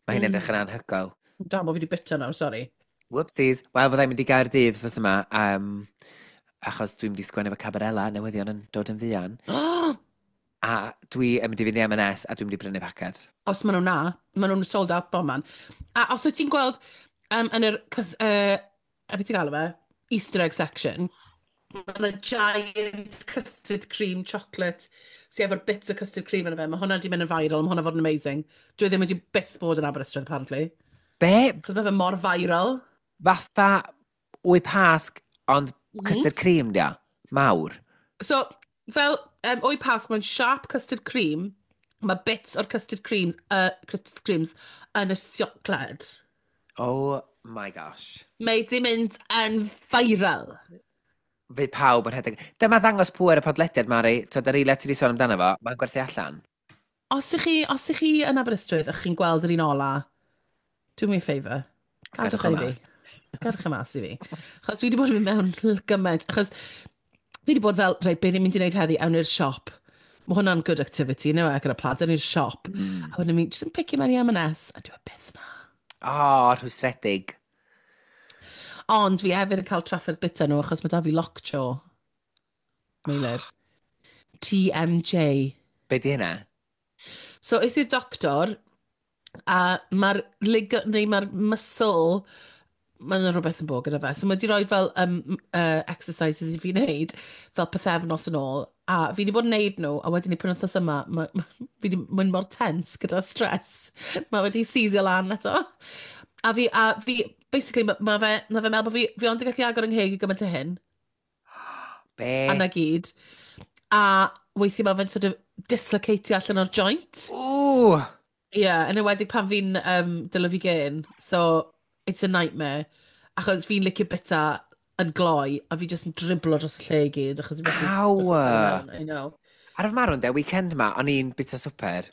Mae hyn edrych yn anhygoel. Da, bo fi wedi bita nawr, sori. Whoopsies. Wel, fyddai'n mynd i Gaerdydd wythnos yma, achos dwi'n mynd i sgwennu efo Cabarella, newyddion yn dod yn fuan. Oh, A dwi yn mynd i fynd i M&S a dwi'n mynd i brynu paced. Os maen nhw'n na, maen nhw'n sold out bob man. A os wyt ti'n gweld yn yr, a beth ti'n galw fe, Easter egg section, mae yna giant custard cream chocolate sydd efo'r bits o custard cream yn y fe. Mae hwnna wedi mynd yn viral, mae hwnna fod yn amazing. Dwi ddim wedi byth bod yn Aberystwyth, apparently. Be? Chos mae fe mor viral. Fatha wy pasg, ond custard cream, dia? Mawr. So, fel wy pasg, mae'n sharp custard cream. Mae bits o'r custard creams yn y siocled. Oh my gosh. Mae di mynd yn viral. Fydd pawb yn rhedeg. Dyma ddangos pŵer y podlediad, Mari. Twyd, yr eiliad ti wedi sôn amdano fo, mae'n gwerthu allan. Os ych chi yn Aberystwyth a chi'n gweld yr un ola, do me a favour. Gadwch Gadwch o e i fi. mas. Gadwch e mas i fi. Achos fi wedi bod yn mynd mewn gymaint. Achos fi wedi bod fel, reit, be ni'n mynd i wneud heddi, awn i'r siop. Mae hwnna'n good activity, no, e, gyda plant, awn i'r siop. A wedyn mi jyst yn picio mewn i M&S, a dwi e byth na. O, oh, rhwystredig. Ond fi hefyd yn cael trafferth bita nhw, achos mae da fi lockjaw. Meilir. TMJ. Be di hynna? So, es i'r doctor, a mae'r lig neu mae'r muscle, mae yna rhywbeth yn bod gyda fe. So mae wedi rhoi fel exercises i fi wneud, fel pythefnos yn ôl. A fi wedi bod yn wneud nhw, a wedyn i penwythnos yma, fi wedi mynd mor tense gyda stress. Mae wedi seizio lan eto. A fi basically, ma fe meddwl bod fi ond yn gallu agor yng ngheg i gymaint o hyn. Be? A na gyd. A weithiau mae fe'n sort of dislocatio allan o'r joint. Ww! Ie, yeah, yn enwedig pan fi'n dylo fi gen. So, it's a nightmare. Achos fi'n licio bita yn gloi, a fi jyst yn driblo dros y lle i gyd. Achos fi'n methu Aw! stwffo fe mewn, I know. Ar y marw'n de, weekend ma, o'n i'n bita swper,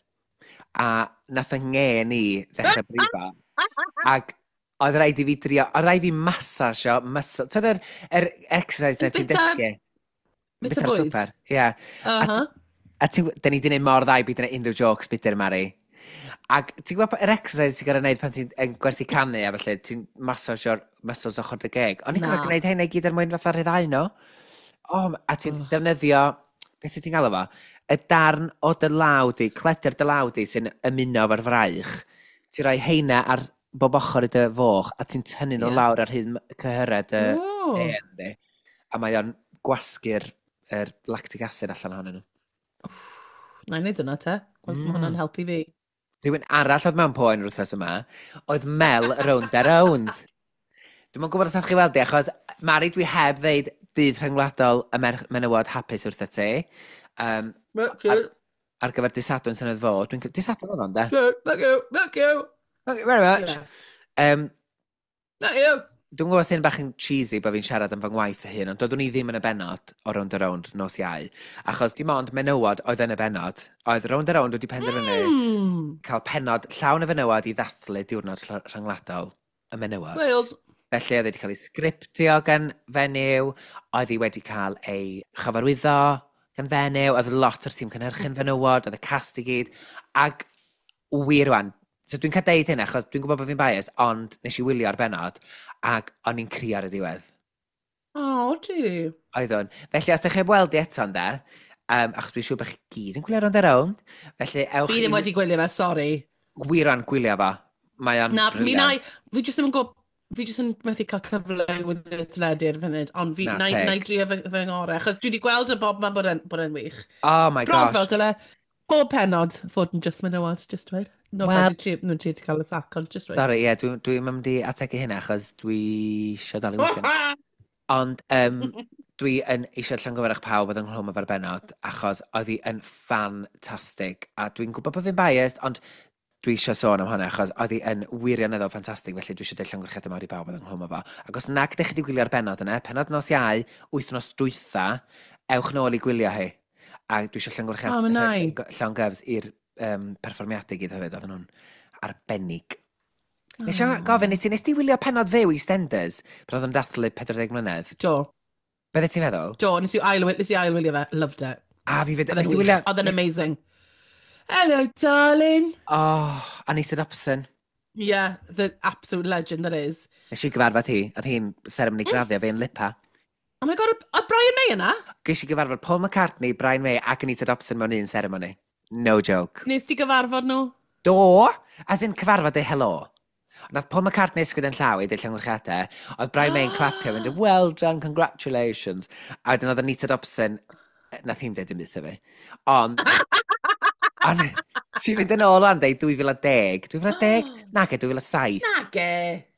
a nath yng ngen i ddechrau brifo. Ac oedd rhaid i fi drio, oedd rhaid i fi massage o, muscle, ti'n yr exercise na ti'n dysgu? Bita Bita'r bwyd? swper, ie. Yeah. A ti'n, da ni di wneud mor dda i byd yna unrhyw jokes bitter, Mari. Ac ti'n gwybod yr exercise ti'n gorfod wneud pan ti'n yn gwersi canu a felly, ti'n massageo'r muscles ochr dy geg. O'n i'n gorfod Na. gwneud hynna i gyd er mwyn fatha rhyddhau nhw. O, a ti'n defnyddio, beth sy'n ti'n galw fo? Y darn o dy law di, cleder dy law di sy'n ymuno efo'r fraich. Ti'n rhoi heina ar bob ochr i dy foch a ti'n tynnu nhw lawr ar hyd cyhyrau dy en di. A mae o'n gwasgu'r yr lactic acid allan ohonyn nhw. Na i wneud hwnna te. Gweld mm. Hwnna'n helpu fi. Rhywun arall oedd mewn poen yr wythnos yma, oedd Mel Rownd a Rownd. Dwi'm yn gwybod os ydych chi weld i, achos Mari, dwi heb ddeud dydd rhyngwladol y menywod hapus wrtho ti. Ar gyfer dydd Sadwrn sy'n oedd fod. Dwi'n dydd Sadwrn oedd o'n, de? Thank you, thank you. Thank you very much. Yeah. Na, yw. Dwi'n gwybod sy'n bach yn cheesy bod fi'n siarad am fy ngwaith fy hun, ond doeddwn i ddim yn y bennod o Rownd a Rownd nos Iau, achos dim ond menywod oedd yn y bennod. Oedd Rownd a Rownd wedi penderfynu cael pennod llawn o fenywod i ddathlu diwrnod rhyngwladol y menywod. Wales. Felly oedd wedi cael ei sgriptio gan fenyw, oedd hi wedi cael ei chyfarwyddo gan fenyw, oedd lot o'r tîm cynhyrchu'n fenywod, oedd y cast i gyd, ac wir rwan, so dwi'n cael deud hyn achos dwi'n gwybod bod fi'n biased, ond nes i wylio'r bennod, ac o'n i'n crio ar y diwedd. O, ti. Oeddwn. Felly, os ydych chi'n weld i eto ynde, achos dwi'n siŵr bod chi gyd yn gwylio Rownd a Rownd, felly ewch Fi ddim wedi gwylio fe, sori. Wir rwan gwylio fo. Mae o'n Na, mi na, brilliant. fi jyst ddim yn gwybod, fi jyst yn methu cael cyfle i wylio teledu ar y funud, ond fi, Na, na, teg. na i drio fy ngorau, achos dwi wedi gweld y bob man bod e'n wych. Oh my Bron gosh. fel dyle, bob pennod fod yn just menywod, just dweud. No, Wel- well, dwi'n trio ti cael y sac, ond just dweud. Sorry, ie, dwi'n dwi mynd i ategu hynna achos dwi eisiau dal i weithio. Ond dwi yn eisiau llongyfarch pawb oedd ynghlwm efo'r bennod, achos oedd hi yn ffantastig. A dwi'n gwybod bod fi'n biased, ond dwi eisiau sôn am hwnna, achos oedd hi yn wirioneddol ffantastig, felly dwi eisiau deud llongyfarchiadau mawr i bawb oedd ynghlwm efo. Ac os nag ydych chi wedi gwylio'r bennod yna, pennod nos Iau, wythnos dwytha, ewch nôl i gwylio hi. A dwi eisiau O, ma' nai. llongyfs i'r perfformiadau gyd hefyd, oedden nhw'n arbennig. Nes i gofyn i ti, nes ti wylio pennod fyw EastEnders pan oedd yn dathlu 40 mlynedd? Do, Beth ti'n meddwl? do, nes i ailwylio fe, loved it. A fi fyd, Oedd nes e'n ti wych. wylio... Oedd e'n amazing. Hello, darling. Oh, Anita Dobson. Yeah, the absolute legend that is. Nes i gyfarfod hi, oedd hi'n seremoni graddio fi yn Lipa. Oh my God, oedd Brian May yna? Ges i gyfarfod Paul McCartney, Brian May ac Anita Dobson mewn un seremoni. No joke. Nes ti gyfarfod nhw? Do! As in cyfarfod ei hello. Nath Paul McCartney ysgwyd yn llaw i deud llongyfarchiadau. Oedd Brian May yn clapio, mynd, "Well done, congratulations." A wedyn oedd Anita Dobson, nath hi'n deud dim byd wrtho fi. Ond, ti'n mynd yn ôl o'n deud 2010. 2010? Nage, 2007. Nage.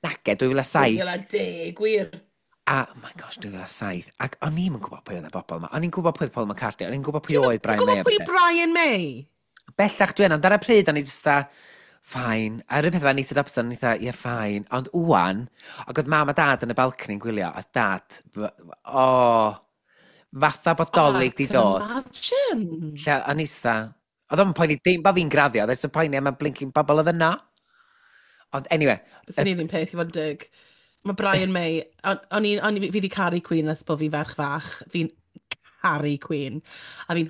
Nage, 2007. 2010, gwir. A, oh my gosh, 2007. Ac o'n i'm yn gwybod pwy oedd y bobl yma. O'n i'n gwybod pwy oedd Paul McCartney, o'n i'n gwybod pwy oedd Brian May. Gwybod a pwy pethe. Brian May? Bellach dwi yn, ond ar y pryd o'n i just dda, fine. A yr un peth efo Anita Dobson, o'n i dda, ie, fine. Ond wwan, ac oedd mam a dad yn y balcony yn gwylio, a dad, oh, fatha bod Dolig di Oh, I can dod. imagine. Lle, o'n i dda, oedd o'n poeni dim bod fi'n graddio, oedd o'n poeni am y blinking bobl oedd yna. Ond anyway, Bysen ni'n un peth i fod yn dig. Mae Brian May, o'n i, fi wedi caru Queen ers bod fi ferch fach. Fi'n caru Queen. A fi'n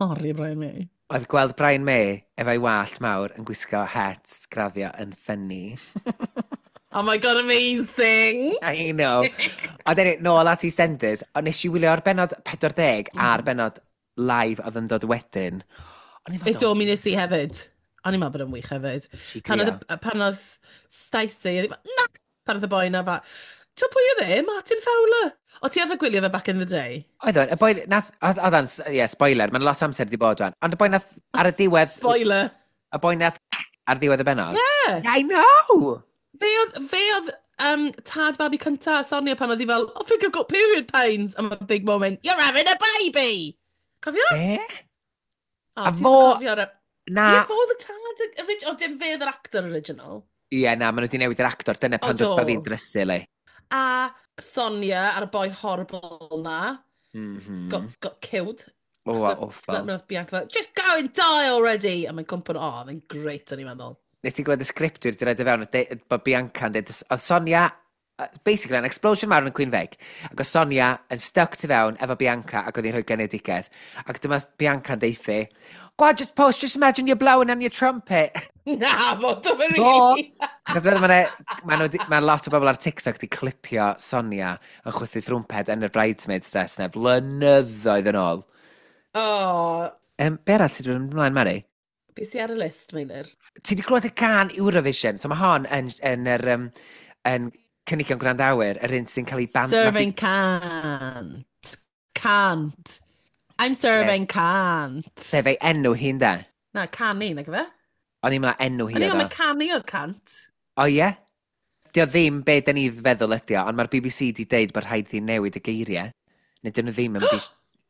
caru Brian May. Oedd gweld Brian May efo'i wallt mawr yn gwisgo het graddio yn funny. Oh my God, amazing! I know. Ond anyway, nôl at EastEnders, ond nes i wylio'r bennod 40 a'r bennod live oedd yn dod wedyn. O'n i'n E do, mi nes i hefyd. O'n i'n meddwl bod yn wych hefyd. Nes i Pan grio. oedd, pan oedd Stacey, oedd hi fel, na! Pan oedd y boi na fa, ti'n pwy oedd e? Martin Fowler. O ti arfer gwylio fe back in the day? Oedd o'n, y boi, nath, oedd o'n, ie, spoiler, mae'n lot o amser wedi bod wan. Ond y boi nath, ar y diwedd, Spoiler. y boi nath, ar ddiwedd y bennod. Yeah. I know! Fe oedd tad babi cynta, Sonia, pan oedd hi fel, "I think I've got period pains." And my big moment, "You're having a baby!" Cofio? Be? O, A ti'n cofio'r Na, Ie, fo oedd y tad, o, dim fe oedd yr actor original. Ie, na, maen nhw wedi newid yr actor. Dyna pan O, do. dod fi'n drysu, le. A Sonia a'r boi horrible na, got killed. O, Achos awful. Nath Bianca fel, "Just go and die already!" A mae'n cwmpo, o, oedd e'n great, o'n i'n meddwl. Nes ti glywed y sgriptwyr wedi rhaid i fewn, bod Bianca'n dweud, oedd Sonia, basically, an explosion mawr yn y Queen Vic, ac oedd Sonia yn stuck tu fewn efo Bianca ac oedd hi'n rhoi genedigaeth. Ac dyma Bianca'n deithi, "Go on, just push, just imagine you're blowing on your trumpet." Na, fo, dwi'n Do. really. Achos fel ma' lot o bobl ar TikTok di clipio Sonia yn chwythu thrwmped yn y bridesmaid dress na flynyddoedd yn ôl. O, Be arall sydd wedi mynd ymlaen, Mari? Be sy ar y list, Meilir? Ti wedi clywed y gân Eurovision? So mae hon yn cynigion gwrandawyr, yr un sy'n cael ei ban... Serving can't. Can't. I'm serving can't. Sef ei enw hi'n de. Na, canu, na gyfe? O'n i'n meddwl enw hi O'n i'n oedd meddwl o. canu oedd can't. O ie? Dio ddim be da ni feddwl ydi o, ond mae'r BBC di deud bod rhaid i newid y geiriau. Neu dyn nhw ddim yn mynd i...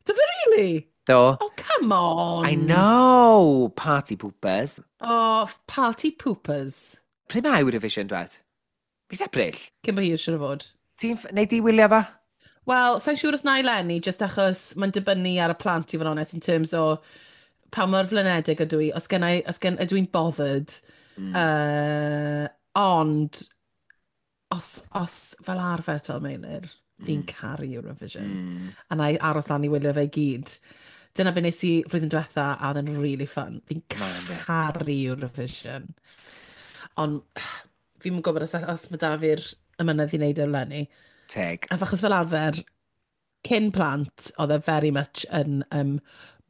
Do fe really? Do. Oh, come on. I know! Party poopers. Oh, party poopers. Pryd mae Eurovision, dwed? Mis Ebrill? Cyn bo hir, siwr o fod. Ti'n... Nei di wylio fo? Wel, sa'n siŵr os na i Lenny, just achos mae'n dibynnu ar y plant i fod yn onest, in terms o pa mor flinedig ydw i, os gen i, os gen, ydw i'n bothered. Ond, os fel arfer to, Meilir, fi'n caru Eurovision. A na i aros lan i wylio fe i gyd. Dyna be nes i flwyddyn diwetha, a oedd yn really fun. Fi'n caru Eurovision. Ond fi'n gwybod os mae da fi'r ymynedd i wneud e eleni. Teg. A achos fel arfer, cyn plant, oedd e very much yn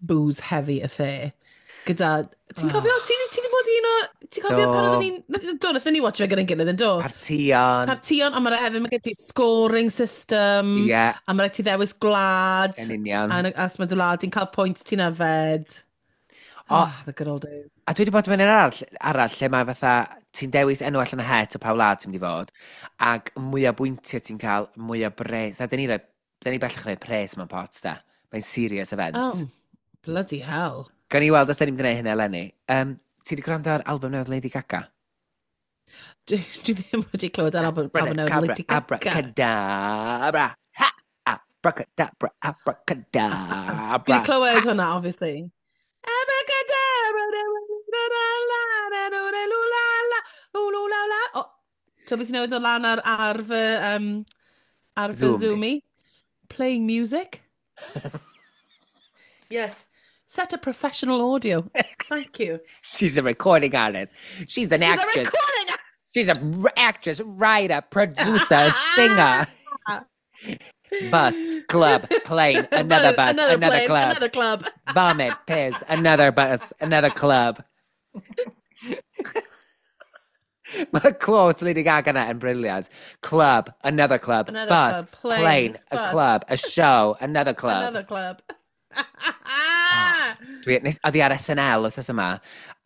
booze heavy affair. Gyda... Ti'n cofio? Oh. Ti di bod un o... Ti'n cofio pan oedden ni'n... Do, nathon ni watch fe gyda'n gilydd yn do? Partion. Partion, ond mae'n hefyd, mae gen ti scoring system. A mae rhaid ti ddewis gwlad. Yn union. A os mae dy wlad, ti'n cael pwynt ti'n yfed. O, oh, the good old days. A dwi wedi bod yn mynd arall lle mae fatha, ti'n dewis enw allan y het o pa wlad ti'n mynd i fod, ac mwy o bwyntiau ti'n cael, mwy o bres. Da ni bellach rhoi pres mewn pot, da. Mae'n serious event. Oh, bloody hell. Gan i weld os da ni'n mynd i wneud hynny eleni. Ti wedi gwrando ar album newydd Lady Gaga? Dwi ddim wedi clywed ar album newydd Lady Gaga. Abracadabra. Ha! Abracadabra, abracadabra. Fi wedi clywed hwnna, obviously. Abracadabra. Oh, so beth sy'n newydd ddod lan ar fy, ar fy Zoomy? Playing music. Yes. Set a professional audio. Thank you. She's a recording artist. She's an actress. She's a recording artist. She's an actress, writer, producer, singer. Bus, club, plane, another bus, another plane, club. Another club. Vomit, piss, another bus, another club. Mae quote Lady Gaga na yn brilliant. Club, another club, another bus, club, plane, a bus. Club, a show, another club. Another club. Oedd hi ar SNL wythnos yma,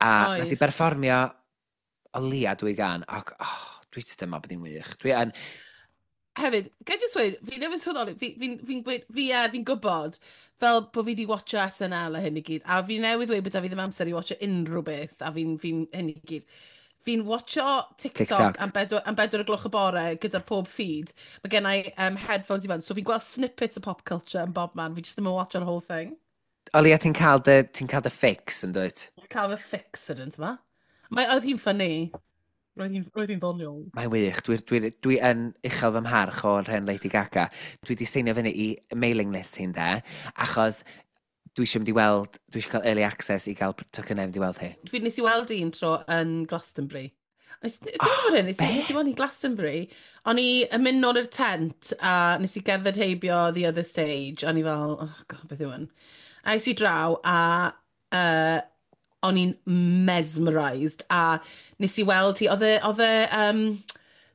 a nath hi berfformio o leia dwy gan, ac dwi jyst yn meddwl bod hi'n wych. Dwi yn... Hefyd, gael jyst dweud, fi newydd sylweddoli, fi'n gwybod fel bod fi wedi watcho SNL a hyn i gyd, a fi newydd dweud bod da fi ddim amser i watcho unrhyw beth, a fi'n hyn i gyd. Fi'n watcho TikTok am 4:00 y bore gyda pob feed. Mae gen i headphones i fan, so fi'n gweld snippets o pop culture yn bob man. Fi just ddim yn watcho'r whole thing. O leia, ti'n cael dy fix yn dwyt? Cael fy fix ydyn, ti'n ma? Oedd hi'n funny. Roedd hi'n ddoniol. Mae'n wych. Dwi yn uchel fy mharch o'r hen Lady Gaga. Dwi wedi seinio fyny i mailing list hi'n de, achos dwi eisiau mynd i weld, dwi eisiau cael early access i gael tocynnau mynd i weld hi. Fi nes i weld un tro yn Glastonbury. Ti'n gwybod hyn? Nes i weld hi Glastonbury. O'n i yn mynd nôl i'r tent a nes i gerdded heibio the other stage. O'n i fel, oh god, beth yw hwn? A es i draw a o'n i'n mesmerised a nes i weld hi, oedd e,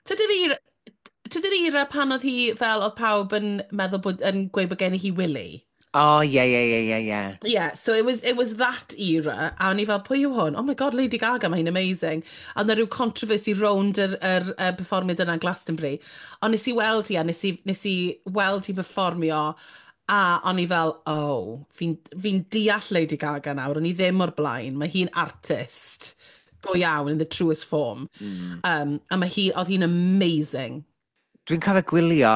tydi'r era pan oedd hi fel oedd pawb yn meddwl bod, yn gweud bod gen i hi Willy? Oh, yeah. Yeah, so it was that era, a o'n i fel, pwy yw hwn? Oh my god, Lady Gaga, mae hi'n amazing. A oedd 'na rhyw controversy rownd yr perfformiad yna yn Glastonbury. Ond nes i weld hi, a nes i weld hi perfformio, a o'n i fel, oh, fi'n deall Lady Gaga nawr, o'n i ddim o'r blaen, mae hi'n artist go iawn in the truest form. A mae hi, oedd hi'n amazing. Dwi'n cofio gwylio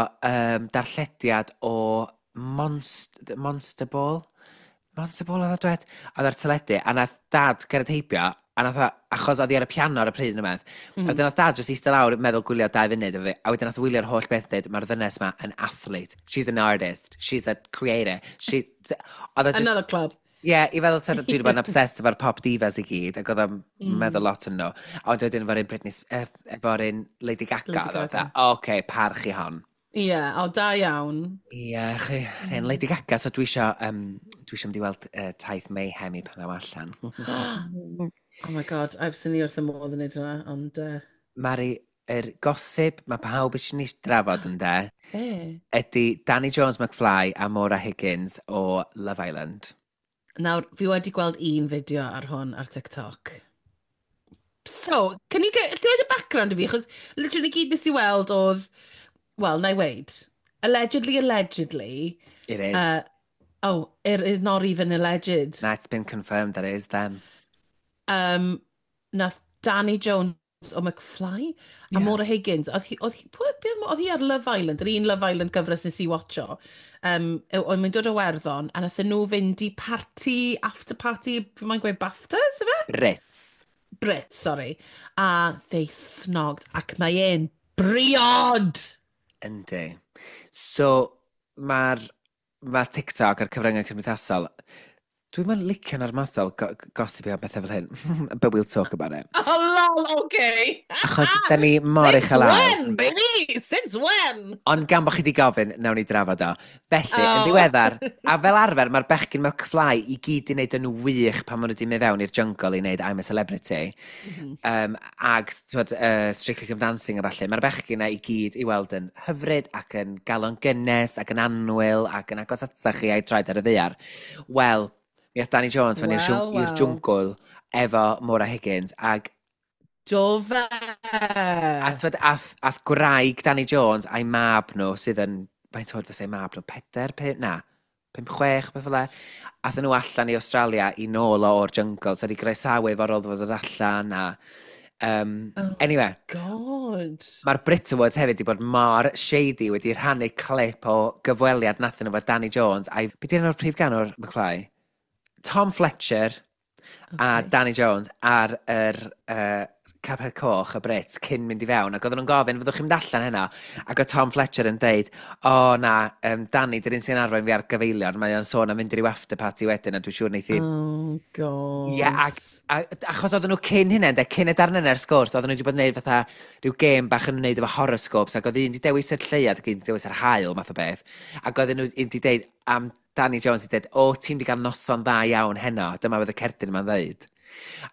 darllediad o Monster Ball. Monster Ball oedd o dwed? Oedd ar teledu, a nath dad gerdded heibio, a nath o, achos oedd hi ar y piano ar y pryd yn ymaith, a wedyn nath dad jyst eistedd lawr meddwl gwylio 2 funud efo fi, a wedyn nath wylio'r holl beth dweud, mae'r ddynes ma yn athlete, she's an artist, she's a creator, she... Oedd o just, another club. Ie, yeah, i feddwl, dwi wedi bod yn obsessed efo'r pop divas i gyd, ac oedd o'n meddwl lot yn nhw. A wedyn efo'r un Britney, efo'r un Lady Gaga, oedd o, oce, parch i hon. Ie, yeah, o, da iawn. Ie, yeah, chi, rhen Lady Gaga, so dwi isio mynd i weld taith Mayhem i pan ddaw allan. Oh my god, I've seen i wrth y modd yn neud hwnna, ond... Mari, yr gossip mae pawb eisiau ni drafod yn de, ydy Danny Jones McFly a Maura Higgins o Love Island. Nawr, fi wedi gweld un fideo ar hwn ar TikTok. So, can you get... Dwi'n rhaid y background i fi, achos literally gyd nes i weld oedd... Well, na i weid. Allegedly. It is. Oh, it is not even alleged. Na, it's been confirmed that it is them. Nath Danny Jones o McFly a Maura Higgins. Oedd hi, oedd hi, pwy, be oedd hi ar Love Island, yr un Love Island gyfres nes i watcho. Oedd mae'n dod o Werddon, a nath nhw fynd i party, after party, fi mae'n gweud BAFTAs, ife? Brits. Brits, sorry. A they snogged, ac mae e'n briod! Yndi. So, mae'r ma TikTok a'r cyfryngau cymdeithasol, dwi'n mynd licio'n armodol gossipio am bethau fel hyn, but we'll talk about it. Oh, lol, okay. Achos da ni mor Since uchel ael. when, baby? Since when? Ond gan bod chi wedi gofyn, nawn ni drafod o. Felly, yn Oh. ddiweddar, a fel arfer, mae'r bechgyn McFly i gyd i wneud yn wych pan maen nhw wedi mynd fewn i'r jungle i wneud I'm a Celebrity. Ag, twod, Strictly Come Dancing a falle. Mae'r bechgyn yna i gyd i weld yn hyfryd ac yn galon gynnes ac yn annwyl ac yn agos atach chi a'i traed ar y ddaear. Wel, mi ath Danny Jones fyny i'r Wel, i'r wel. jwngl efo Maura Higgins ac Do fe! A twyd, ath gwraig Danny Jones a'i mab nhw sydd yn, faint oed fysa ei mab nhw, 4, 5, na, 5, 6, beth fel e. Athyn nhw allan i Australia i nôl o o'r jungle, so wedi groesawu fo ar ôl fod allan a... Oh. Anyway, God. mae'r Brit Awards hefyd wedi bod mor shady wedi rhannu clip o gyfweliad nathyn nhw efo Danny Jones a'i... Be di enw'r prif ganwr McFly? Tom Fletcher a Danny Jones ar yr carped coch y Brits cyn mynd i fewn ac oedden nhw'n gofyn, fyddwch chi'n mynd allan heno? Ac oedd Tom Fletcher yn deud, o na, Danny, dy'r un sy'n arwain fi ar gyfeilion, mae o'n sôn am mynd i ryw after party wedyn a dwi'n siŵr neith i. Oh, God. Ie, ac, achos oedden nhw cyn hynna, ynde, cyn y darn yna ar sgwrs, oedden nhw wedi bod yn gwneud fatha rhyw gêm bach yn wneud efo horoscopes, ac oedd un wedi dewis yr lleuad ac un wedi dewis yr haul, math o beth. Ac oedden nhw un wedi deud am Danny Jones wedi deud, o, ti'n wedi cael noson dda iawn heno, dyma fydd y cerdyn yma'n ddeud.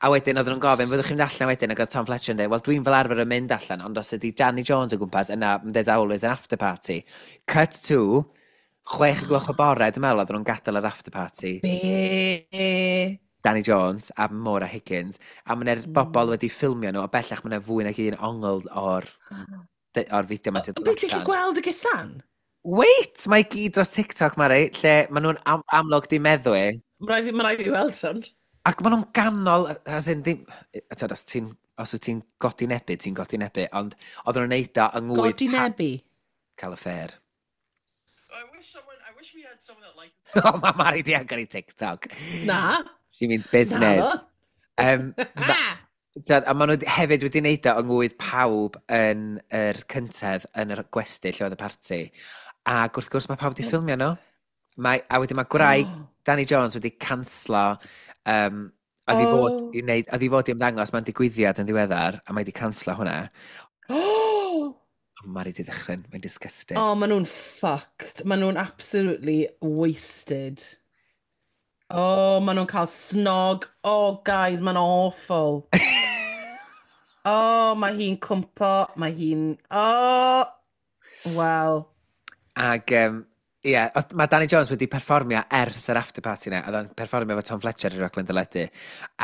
A wedyn oedden nhw'n gofyn, fyddwch chi'n mynd allan wedyn, ac oedd Tom Fletcher yn dweud, wel, dwi'n fel arfer yn mynd allan, ond os ydy Danny Jones o gwmpas, yna, there's always an after party. Cut to, 6 gloch o bore, dwi'n meddwl, oedden nhw'n gadael yr after party. Be? Danny Jones a Maura Higgins, a mae yna'r bobl wedi ffilmio nhw, a bellach mae yna fwy nag un ongl o'r fideo yma 'di dod Be, ti'n gallu allan. gweld y gusan? Wait! Mae i gyd dros TikTok, Mari, lle maen nhw'n amlwg di meddwi. Mae rhaid fi weld hwn. Ac maen nhw'n ganol, as in, ddim, tyd, os wyt ti'n godi nebu, ti'n godi nebu, ond oedden nhw'n neud o yng ngwydd Godi nebu. Cael y ffair. I wish we had someone that liked O, mae Mari di agor i TikTok. Na. She means business. Na. Ah! Tyd, a maen nhw hefyd wedi wneud o yng ngwydd pawb yn yr cyntedd yn yr gwesty lle oedd y parti. Ac wrth gwrs mae pawb wedi ffilmio nhw. A wedyn mae gwraig Danny Jones wedi canslo, oedd i fod i wneud, oedd i fod i ymddangos mewn digwyddiad yn ddiweddar, a mae wedi canslo hwnna. Oh! A Mari di dychryn, mae'n disgusted. Oh, maen nhw'n fucked. Maen nhw'n absolutely wasted. Oh, maen nhw'n cael snog. Oh, guys, mae'n awful. Oh, mae hi'n cwmpo. Mae hi'n... Oh! Well. Ac, ie, yeah, mae Danny Jones wedi perfformio ers yr after party na. Oedd o'n perfformio efo Tom Fletcher i'r raglen deledu.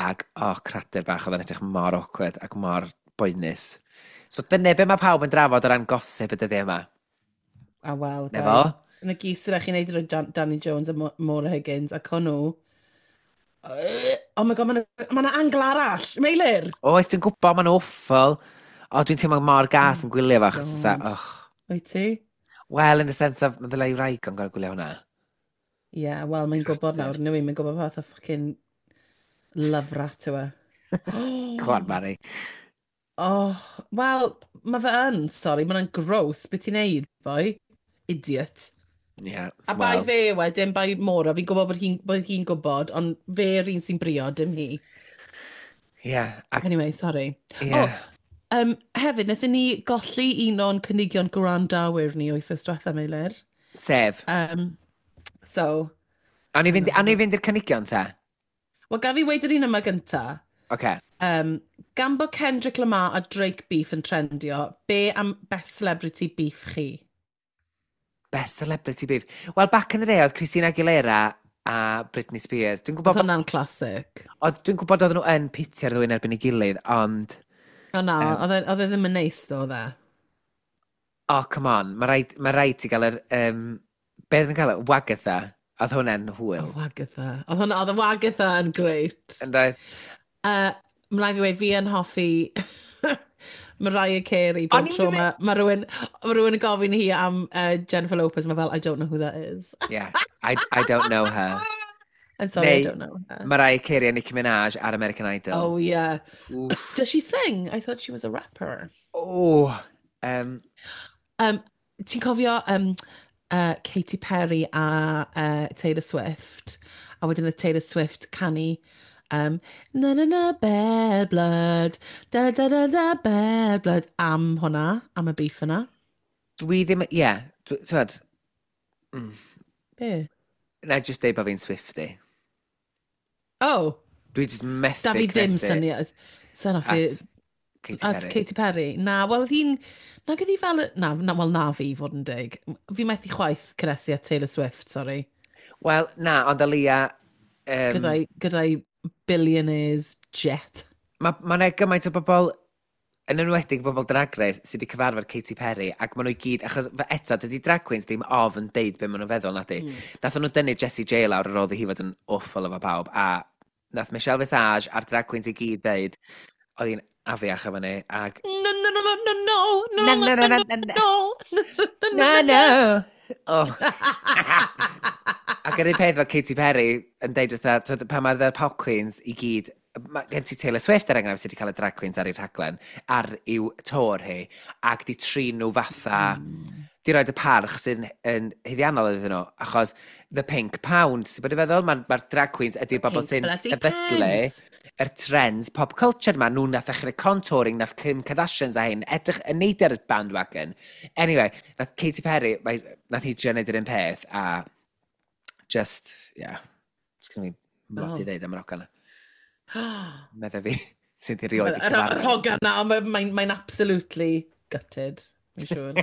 Ac, oh, cradur bach, oedd o'n edrych mor awkward ac mor boenus. So dyna be mae pawb yn drafod o ran gossip y dyddiau yma. A well, Na guys. fo? Yn y gys sydd chi'n neud gyda Danny Jones a Maura Higgins ac hwnnw. Oh my God, mae yna angle arall. Meilir! Oes, dwi'n gwybod, mae'n awful. O, dwi'n teimlo mor gas yn gwylio fo, achos fatha, God. och. Wyt ti? Well, in the sense of, mae ddylai wraig o'n gorau gwylio hwnna. Ie, yeah, wel, mae'n gwybod nawr, nwy, mae'n gwybod fath o fucking love rat yw e. Come on, Mari. Oh, wel, mae fe yn, sorry, mae'n gross. Be ti'n neud, boy? Idiot. Yeah, A bai well. fe wedyn, bai Maura, fi'n gwybod bod hi'n gwybod, ond fe yr un sy'n briod, dim hi. Yeah, ac, Anyway, sorry. yeah. Oh, hefyd, wnaethon ni golli un o'n cynigion gwrandawyr ni wythnos diwetha, Meilir. Sef. So, Awn ni fynd i'r cynigion te? Wel, gaf fi weud yr un yma gynta. Oce. Gan bod Kendrick Lamar a Drake beef yn trendio, be am best celebrity beef chi? Best celebrity beef. Well, back in the day, oedd Christina Aguilera a Britney Spears. Dwi'n Oedd gwybod, hwnna'n classic. dwi'n gwybod oedden nhw yn pitio'r ddwy'n erbyn ei gilydd, ond... O na, oedd e ddim yn neis ddo, oedd e? Oh, come on. Mae rhaid ti gael yr... Be oedd yn cael? Wagatha. Oedd hwnna'n hwyl. Oh, Wagatha. Oedd hwnna, oedd y Wagatha yn great. Yn doedd? Mae'n rhaid fi weud, fi yn hoffi. Mariah Carey O'n bob i'n tro mynd ma rhywun yn gofyn hi am Jennifer Lopez, mae fel, "I don't know who that is." Yeah, I don't know her. I'm sorry, I Neu don't know her. Mariah Carey a Nicki Minaj ar American Idol. Oh, yeah. Oof. Does she sing? I thought she was a rapper. Oh, Ti'n cofio Katy Perry a Taylor Swift? A wedyn y Taylor Swift canu "Na na na bad blood, da da da da bad blood" am hwnna, am y beef yna. Dwi ddim, ie, yeah, ti'n Be? Na, just deud bod fi'n Swiftie. Oh, Dwi just methu da fi ddim cnesu syniad. Sy'n off i at Katy at Perry. Katy Perry. Na, wel, oedd hi'n... Na, oedd hi fel... Na, na, wel, na fi, fod yn dig. Fi methu chwaith cynhesu at Taylor Swift, sorry. Wel, na, ond o leia Gyda'i billionaires jet. Mae ma gymaint o bobl, yn enwedig bobl Drag Race, sydd wedi cyfarfod Katy Perry, ac maen nhw i gyd, achos eto, dydy drag queens ddim ofn deud be maen nhw'n feddwl, na di. Nath nhw dynnu Jessie J lawr ar ôl iddi hi fod yn awful efo pawb, a nath Michelle Visage a'r drag queens i gyd ddeud, oedd hi'n afiach efo ni, ac No, no, no, no, no, no, Na, no, na, no, na, no, na, na. no, Na, no! Oh. Ac yr un peth efo Katy Perry yn deud wrtha, t'wod, pan mae'r The Pop Queens i gyd, mae gen ti Taylor Swift er enghraifft sydd wedi cael y drag queens ar ei rhaglen, ar i'w tor hi, ac di trin nhw fatha, di roed y parch sy'n yn haeddiannol iddyn nhw, achos The Pink Pound, ti'n bod i feddwl, mae'r ma drag queens ydy'r bobl Pink sy'n bloody sefydlu pound. yr trends pop culture yma, nhw nath ddechrau contouring, nath Kim Kardashians a hyn, edrych yn neud ar y bandwagon. Anyway, nath Katy Perry, mae, nath hi trio neud yr un peth, a just, yeah, it's gonna be lot i Oh. ddeud am yr hogan yna. Medda fi, sydd i rioed i Yr cyfarfod. hogan na, mae'n absolutely gutted, fi'n siŵr.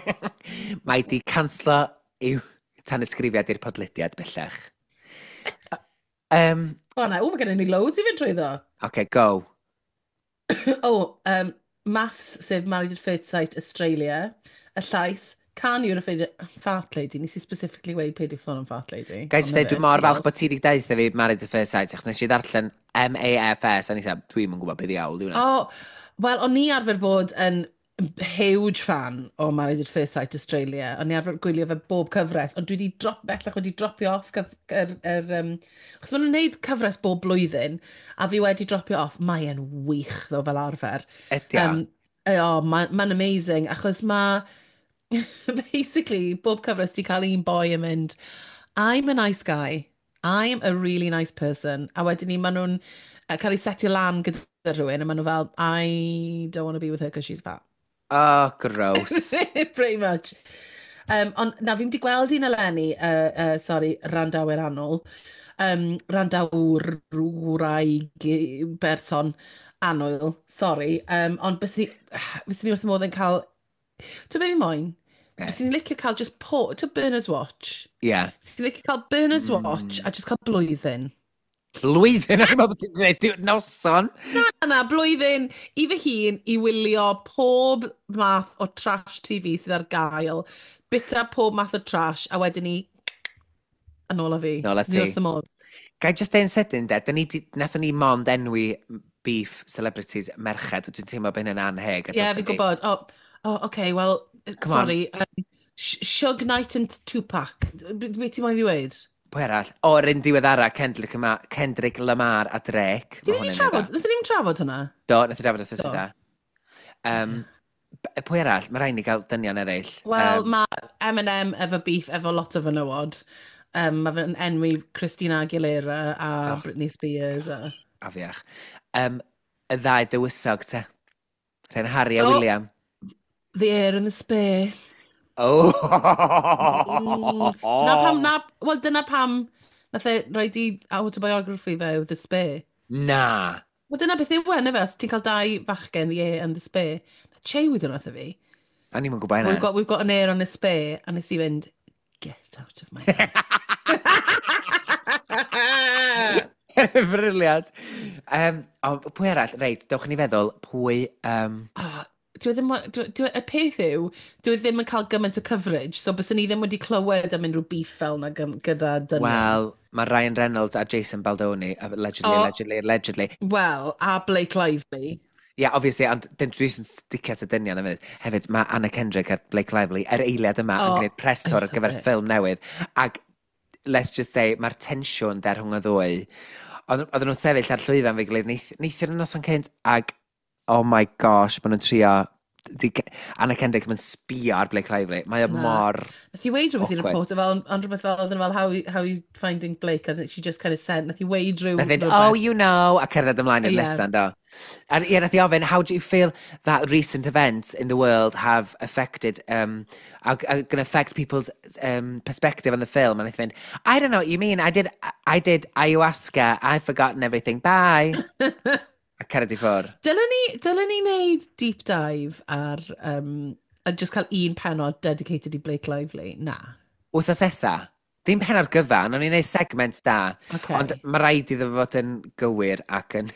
Mae di canslo i'w tanysgrifiad i'r podlediad bellach. O na, o, mae gennym ni loads i fynd trwyddo. Okay, go. O, MAFS, sef Married at First Sight Australia, y llais, can you're a fart lady, nes i specifically weud peidiwch sôn am fart lady. Gai jyst Ond dweud, na dwi fe, mor falch diolch. bod ti wedi deutha fi Married at First Sight, achos nes i ddarllen MAFS, a nes i, dwi'n yn gwybod beth ddiawl, dwi'n O, wel, o'n i arfer bod yn huge fan o Married at First Sight Australia. O'n i arfer gwylio fe bob cyfres, ond dwi wedi drop, bellach wedi dropio off achos maen nhw'n gwneud cyfres bob blwyddyn, a fi wedi dropio off. Mae e'n wych, ddo, fel arfer. Ydy o. O, mae'n ma amazing, achos mae, basically, bob cyfres di cael un boi yn mynd, "I'm a nice guy, I'm a really nice person." A wedyn ni, maen nhw'n cael ei setio lan gyda rhywun, a maen nhw fel, "I don't want to be with her because she's fat." Oh, gross. Pretty much. Ond na, fi'n di gweld un eleni, sorry, randawyr annwyl, randawr, wraig, berson annwyl, sorry. Ond bys ni wrth y modd yn cael, dwi'n beth fi moyn? Be? Bys ni'n licio cael just po, to Bernard's Watch. Bys ni'n licio cael Bernard's Watch a just cael blwyddyn. Blwyddyn, o'n i'n meddwl bod ti'n dweud noson. Na, na, blwyddyn i fy hun i wylio pob math o trash TV sydd ar gael, bita pob math o trash, a wedyn ni, yn ôl â fi. Nôl â Swn i ti. wrth y modd. Gai just deud yn sydyn, de, dyn ni, nathon ni mond enwi beef celebrities merched, a dwi'n teimlo bod hynny'n anheg. a Ie, dylsen fi'n ni. gwybod. Oh, okay, well, Come on. sorry. Suge Knight and Tupac. Be ti'n moyn fi weud? Pwy arall? O, yr un diweddara, Kendrick, Lamar, Kendrick Lamar a Drake. Dyn Ma' ni hwnna'n trafod? un dda. Nathon ni'm trafod hwnna? Do, nath i drafod wrth Do. dda. Pwy arall? Mae rhaid ni gael dynion eraill. Wel, mae Eminem efo beef efo lot o fenywod. Mae fe'n enwi Christina Aguilera a Oh. Britney Spears. A... Afiach. Y ddau dywysog, te. Rhain Harry a Do. William. The Heir and the Spare. Oh! Na pam, na, wel dyna pam nath e roed i autobiography fe, The Spare. Na. Wel dyna beth yw e, na fe, os ti'n cael dau fachgen, The Heir and the Spare. Na Che wedi wnaeth e fi. A ni'n gwybod hynna. We've got an heir and a spare," a nes i fynd, "Get out of my house." Brilliant. O, pwy arall? Reit, dewch i ni feddwl, pwy Oh, dwi ddim, y peth yw, dwi ddim yn cael gymaint o coverage, so byswn ni ddim wedi clywed am unrhyw beef fel na gyda dynion. Wel, mae Ryan Reynolds a Jason Baldoni, allegedly, O. allegedly, allegedly. Wel, a Blake Lively. Ie, yeah, obviously, ond dyn dwi sy'n sticio at y dynion am funud. Hefyd, mae Anna Kendrick a Blake Lively yr eiliad yma yn gwneud press tour ar gyfer ffilm newydd. Ac, let's just say, mae'r tensiwn der rhwng y ddwy. Oedden nhw'n sefyll ar llwyfan fe gilydd neithiwr yn noson cynt, ac, oh my gosh, maen nhw'n trio di, Anna Kendrick yn sbio ar Blake Lively. Mae o mor Nath i weid rhywbeth i'r reporter fel, ond rhywbeth fel, oedd fel, how you finding Blake? And she just kind of said, nath i weid rhyw... Nath i oh, you know, a cerdded ymlaen i'r yeah. nesaf, do. A ie, nath i ofyn, how do you feel that recent events in the world have affected, are going to affect people's perspective on the film? And nath i fynd, I don't know what you mean, I did ayahuasca, I've forgotten everything, bye. A cered i ffwr. Dylen ni, dylen ni wneud deep dive ar, a just cael un penod dedicated i Blake Lively? Na. Wythnos nesa? Ddim penod gyfan, o'n i'n neud segment da. Okay. Ond mae rhaid iddo fod yn gywir ac yn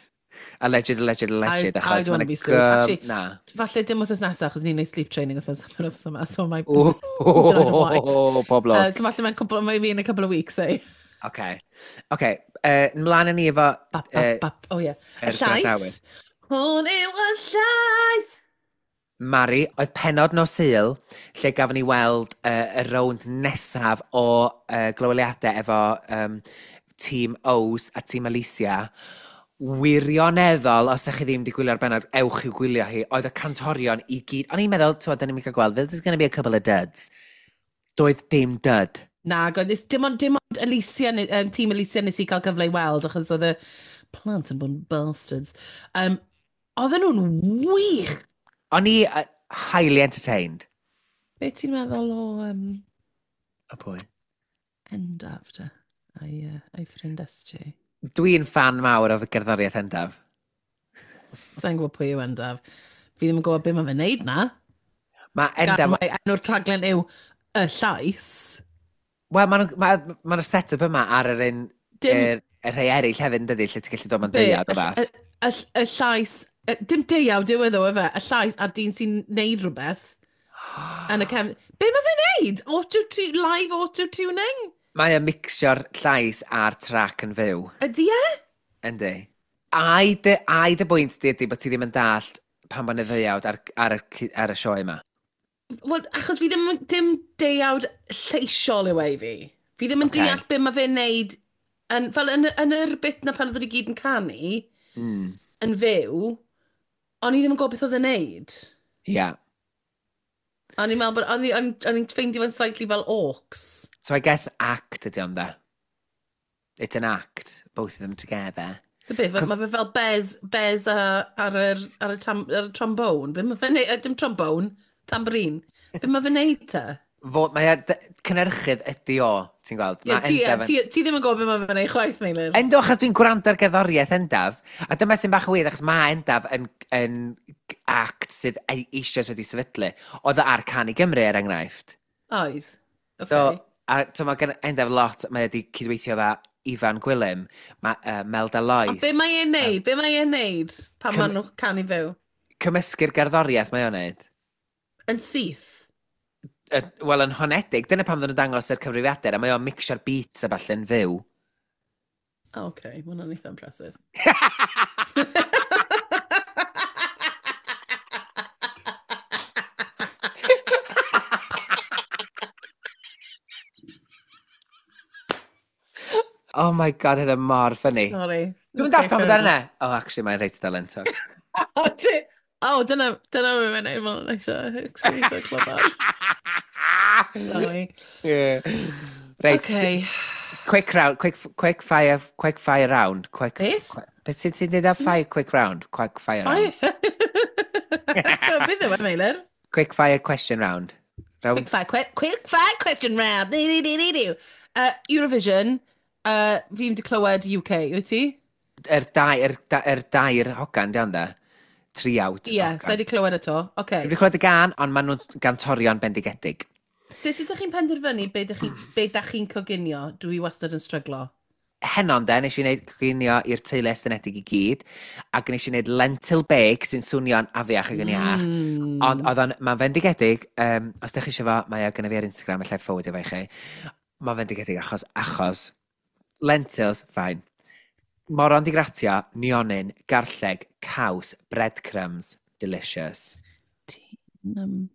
alleged, alleged, alleged. Achos mae'n gym... Na. Falle dim wythnos nesaf, achos ni'n neud sleep training wythnos yma, so mae... O, pob lwc. So falle mae'n cwpl, mae fi in a couple of weeks, eh? Okay. Okay. Mlaen â ni efo... Bap, bap, bap. Oh, yeah. Y llais. Hwn yw y llais! Mari, oedd penod nos Sul, lle gafon ni weld y rownd nesaf o glyweliadau efo tîm O's a tîm Alicia. Wirioneddol, os ydych chi ddim wedi gwylio'r benod, ewch i'w gwylio hi, oedd y cantorion i gyd... O'n i'n meddwl, ti'n da ni'n cael gweld, there's going to be a couple of duds. Doedd dim dud. Na, dim ond, dim ond Alicia, tîm Alicia nes i cael cyfle i weld, achos oedd y plant yn bod yn bastards. Oedden nhw'n wych! O'n i highly entertained. Be ti'n meddwl o... O pwy? Endaf, de. A'i ffrind SJ. Dwi'n fan mawr o gerddoriaeth Endaf. Sa'n gwybod pwy yw Endaf. Fi ddim yn gwybod beth mae fe'n neud na. Mae Endaf... Mae enw'r rhaglen yw Y Llais. Wel, mae'r ma, ma, ma set-up yma ar yr un... Dim... Y rhai eraill hefyd yn dydi, lle ti'n gallu dod mewn deuawd o fath. Y llais... Dim deuawd yw iddo, efe. Y llais a'r dyn sy'n neud rhywbeth. Yn y cefn... Be mae fe'n neud? Auto live auto-tuning? Mae o'n mixio'r llais a'r track yn fyw. Ydy e? Yndi. Ai dy, ai dy bwynt di ydy bod ti ddim yn dallt pan bod y ddeuawd ar y sioe yma? Wel, achos fi ddim, dim deuawd lleisiol yw e i fi. Fi ddim yn deall be mae fe'n neud, yn, fel yn, yn yr bit na pan oedden ni gyd yn canu, yn fyw, o'n i ddim yn gwybod beth oedd e'n neud. Ie. Yeah. O'n i'n meddwl bod, o'n i'n ffeindio fe'n slightly fel orcs. So I guess act ydy ond de. It's an act, both of them together. So beth, mae fe fel Bez ar y trombone. Be mae fe'n neud, dim trombone, tambourine. Be mae fe'n neud te? Mae cynhyrchydd ydy o, ti'n gweld. Yeah, ti ddim yn gwybod beth mae fe'n neud chwaith, Meilir. Endo, achos dwi'n gwrando ar gerddoriaeth Endaf. A dyma sy'n bach yn weird, achos mae Endaf yn act sydd eisoes wedi sefydlu. Oedd o ar Can i Gymru, er enghraifft. Oedd. Okay. So, a so mae gen Endaf lot, mae wedi cydweithio dda Ifan Gwilym, mae Melda Lois. Ond be mae e'n neud? Be mae e'n neud pan maen nhw'n canu fyw? Cymysgu'r gerddoriaeth mae o'n neud. Yn syth? Wel, yn honedig. Dyna pam ddyn nhw'n dangos yr cyfrifiadur, a mae o'n mixio'r beats a ballu'n fyw. Oh, okay, mae hwnna'n eitha impressive. Oh my god, hynna mor funny. Sorry. Dwi'n dall pam bod yna. Oh, actually, mae'n reit dalentog. Oh, dyna beth mae'n neud, mae'n eisiau. Actually, eitha clyfar. Sorry. Yeah. Reit. Okay. Quick round, quick fire round. Quick, Beth? Beth sy'n ti'n dweud ar fire quick round? Quick fire round. Beth yw e, Meilir? Quick fire question round. Round. Quick fire question round. Eurovision, fi wedi clywed UK, wyt ti? Yr dair hogan, di ond e? Triawd. Ie, yeah, sa i wedi clywed eto. Okay. Dwi wedi clywed y gan, ond maen nhw'n gantorion bendigedig. Sut ydych chi'n penderfynu be dach chi'n coginio? Dwi wastad yn stryglo. Henon de, nes i wneud coginio i'r teulu estynedig i gyd, ac nes i wneud lentil bake sy'n swnio'n afiach ac yn iach. Ond oedd o'n, mae'n fendigedig, os ydych chi eisiau fo, mae o gynna fi ar Instagram, allai forwardio fo i chi. Mae'n fendigedig achos lentils, fine. Moron di gratio, nionyn, garlleg, caws, breadcrumbs. Delicious. Ti'n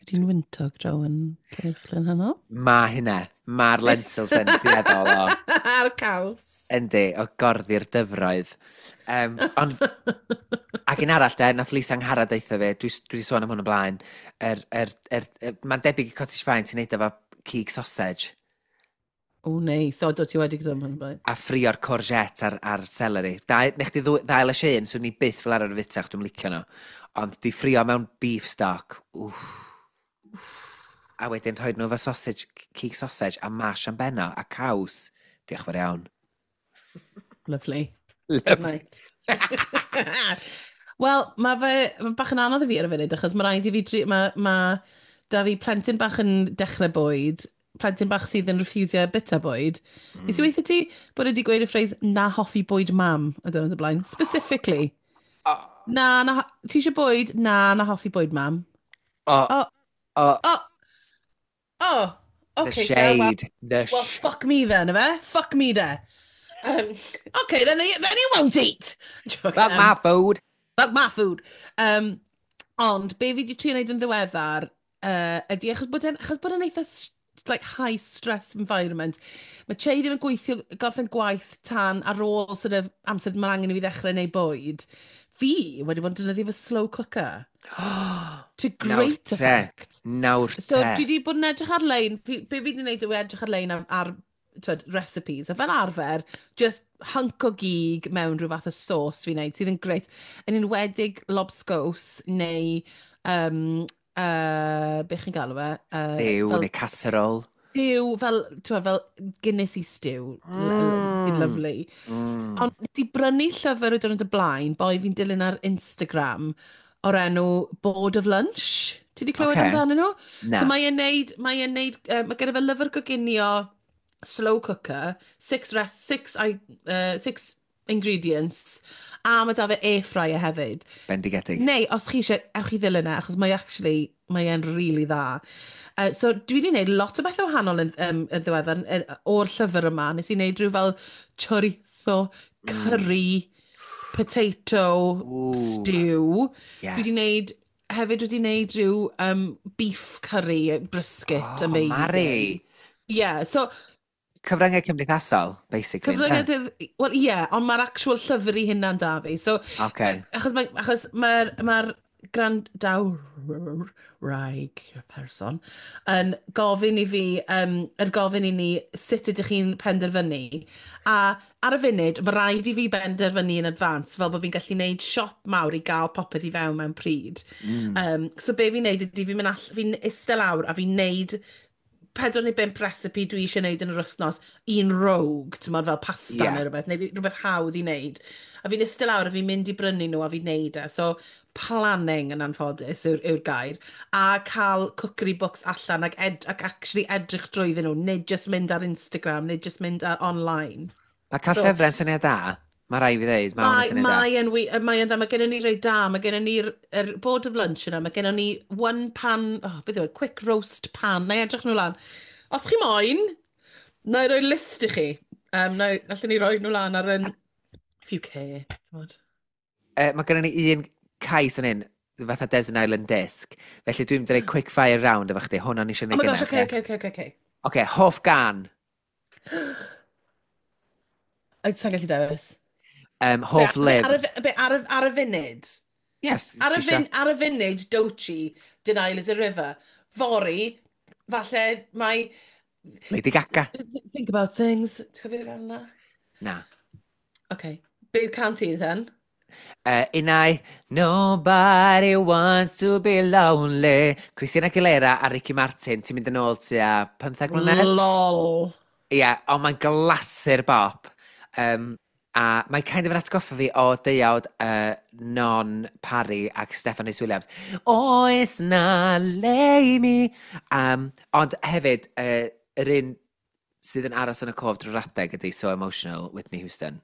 ti'n wyntog draw yn Llanuwchllyn heno? Mae hynna. Mae'r lentils yn dueddol o. A'r caws. Yndi, o gorddi'r dyfroedd. Ond, ac un arall de, nath Lisa Angharad deutha fi, dwi 'di sôn am hwn o blaen, mae'n debyg i cottage pie, ti'n neud efo cig sausage. O, nei. So, do ti wedi gyda hwn o blaen. A ffrio'r courgette ar celery. Dau, nech di ddau lysieuyn, swn i byth fel arfer y fita, achos dwi'n licio nhw. Ond di ffrio mewn beef stock, wff. A wedyn rhoi nhw efo sausage, cig sausage a mash am benno a caws. Diolch fawr iawn. Lovely. Good Lovely. night. Wel, mae fe ma bach yn anodd i fi ar y funud, achos mae rhaid i fi... Mae da fi plentyn bach yn dechrau bwyd, plentyn bach sydd yn refusio bita bwyd. Nes i weithio ti bod wedi gweud y phrase "na hoffi bwyd mam" y diwrnod o blaen? Specifically. Oh, Na, na, ti eisiau bwyd? Na, na hoffi bwyd mam. Oh, Oh, oh, oh, the okay, te, well, shade. The well, fuck me then, ife? Fuck me there. Okay, then you won't eat. Joke, Fuck my food. Fuck my food. Ond, be fi wedi trio wneud yn ddiweddar, ydy, achos bod e'n eitha like, high stress environment, mae Che ddim yn gweithio, gorffen gwaith tan ar ôl sort of amser mae angen i fi ddechrau wneud bwyd. Fi wedi bod yn defnyddio fy slow cooker. To great te. effect. Nawr So te. dwi wedi bod yn edrych ar-lein, be fi wedi gwneud yw edrych ar-lein ar twyd, recipes, a fel arfer, just hunk o gig mewn rhyw fath o sauce fi'n neud, sydd yn great. Yn enwedig lobscows neu, be chi'n galw fe? Stew fel neu casserole. Stew, fel, twyd, fel Guinness stew. Lovely. Ond nes i brynu llyfr y diwrnod y blaen, boi fi'n dilyn ar Instagram, o'r enw Board of Lunch. Ti wedi clywed amdanyn nhw? Na. So mae e'n neud, mae gyda fe lyfr goginio slow cooker, six ingredients, a mae da fe air fryer hefyd. Bendigedig. Neu, os chi eisiau, ewch i ddilyn e, achos mae actually, mae e'n really dda. So dwi wedi gwneud lot o bethau wahanol yn ddiweddar o'r llyfr yma. Nes i wneud rhyw fel chorizo, curry, potato, Ooh, stew. Dwi wedi gwneud, hefyd wedi gwneud rhyw beef curry, brisket, Oh, amazing. Mari. Yeah, so Cyfryngau cymdeithasol, basically. Ynde? Cyfryngau, wel ie, yeah, ond mae'r actual llyfr i hynna'n da fi. So, achos mae'r gwrandawraig person yn gofyn i fi, yn gofyn i ni sut ydych chi'n penderfynu. A ar y funud, mae rhaid i fi benderfynu yn advance, fel bod fi'n gallu gwneud siop mawr i gael popeth i fewn mewn pryd. So be fi'n neud ydy fi'n eistedd lawr a fi'n neud pedwar neu bump recipe dwi eisiau neud yn yr wythnos, un rogue, ti'n fel pasta neu rhywbeth, neu rhywbeth hawdd i wneud. A fi'n eistedd lawr a fi'n mynd i brynu nhw a fi'n neud e. So, planning yn anffodus yw'r gair. A cael cookery books allan ac actually edrych drwyddyn nhw, nid just mynd ar Instagram, nid just mynd ar online. Mae cael So- llyfrau'n syniad da. Mae rai fi ddeud, mae hwn yn Mae, syniad da. mae yn dda, mae gennym ni rei da, mae gennym ni'r er board of lunch yna, mae gennym ni one pan, oh, beth yw e, quick roast pan, na i edrych nhw lan. Os chi moyn, na i roi list i chi. Na, allwn ni roi nhw lan ar yn, if you care, t'mod. Mae gennym ni un cais yn un, fatha Desert Island Disc. Felly dwi'n mynd i roi quick fire round efo chdi. Hwna ni eisiau Oh gwneud my gosh, gynna, okay. Oce, hoff gan. Sa'n gallu dewis. Hoff Be, lyfr. Ar y funud? Yes. Ar y, ti isio- ar y funud, Doechii, Denial is a River. Fory, falle mae Lady Gaga. Think About Things. Ti'n cofio'r gan yna? Na. Okay. Be yw can ti then? Unai, Nobody Wants to Be Lonely. Christina Aguilera a Ricky Martin, ti'n mynd yn ôl tua 15 mlynedd? Lol. Ie, yeah, ond mae'n glasur bop. A mae kind of yn atgoffa fi o deuawd Non Parry ac Steffan Rhys Williams. Oes na le i mi. Ond hefyd, yr un sydd yn aros yn y cof drwy'r adeg ydy So Emotional, Whitney Houston.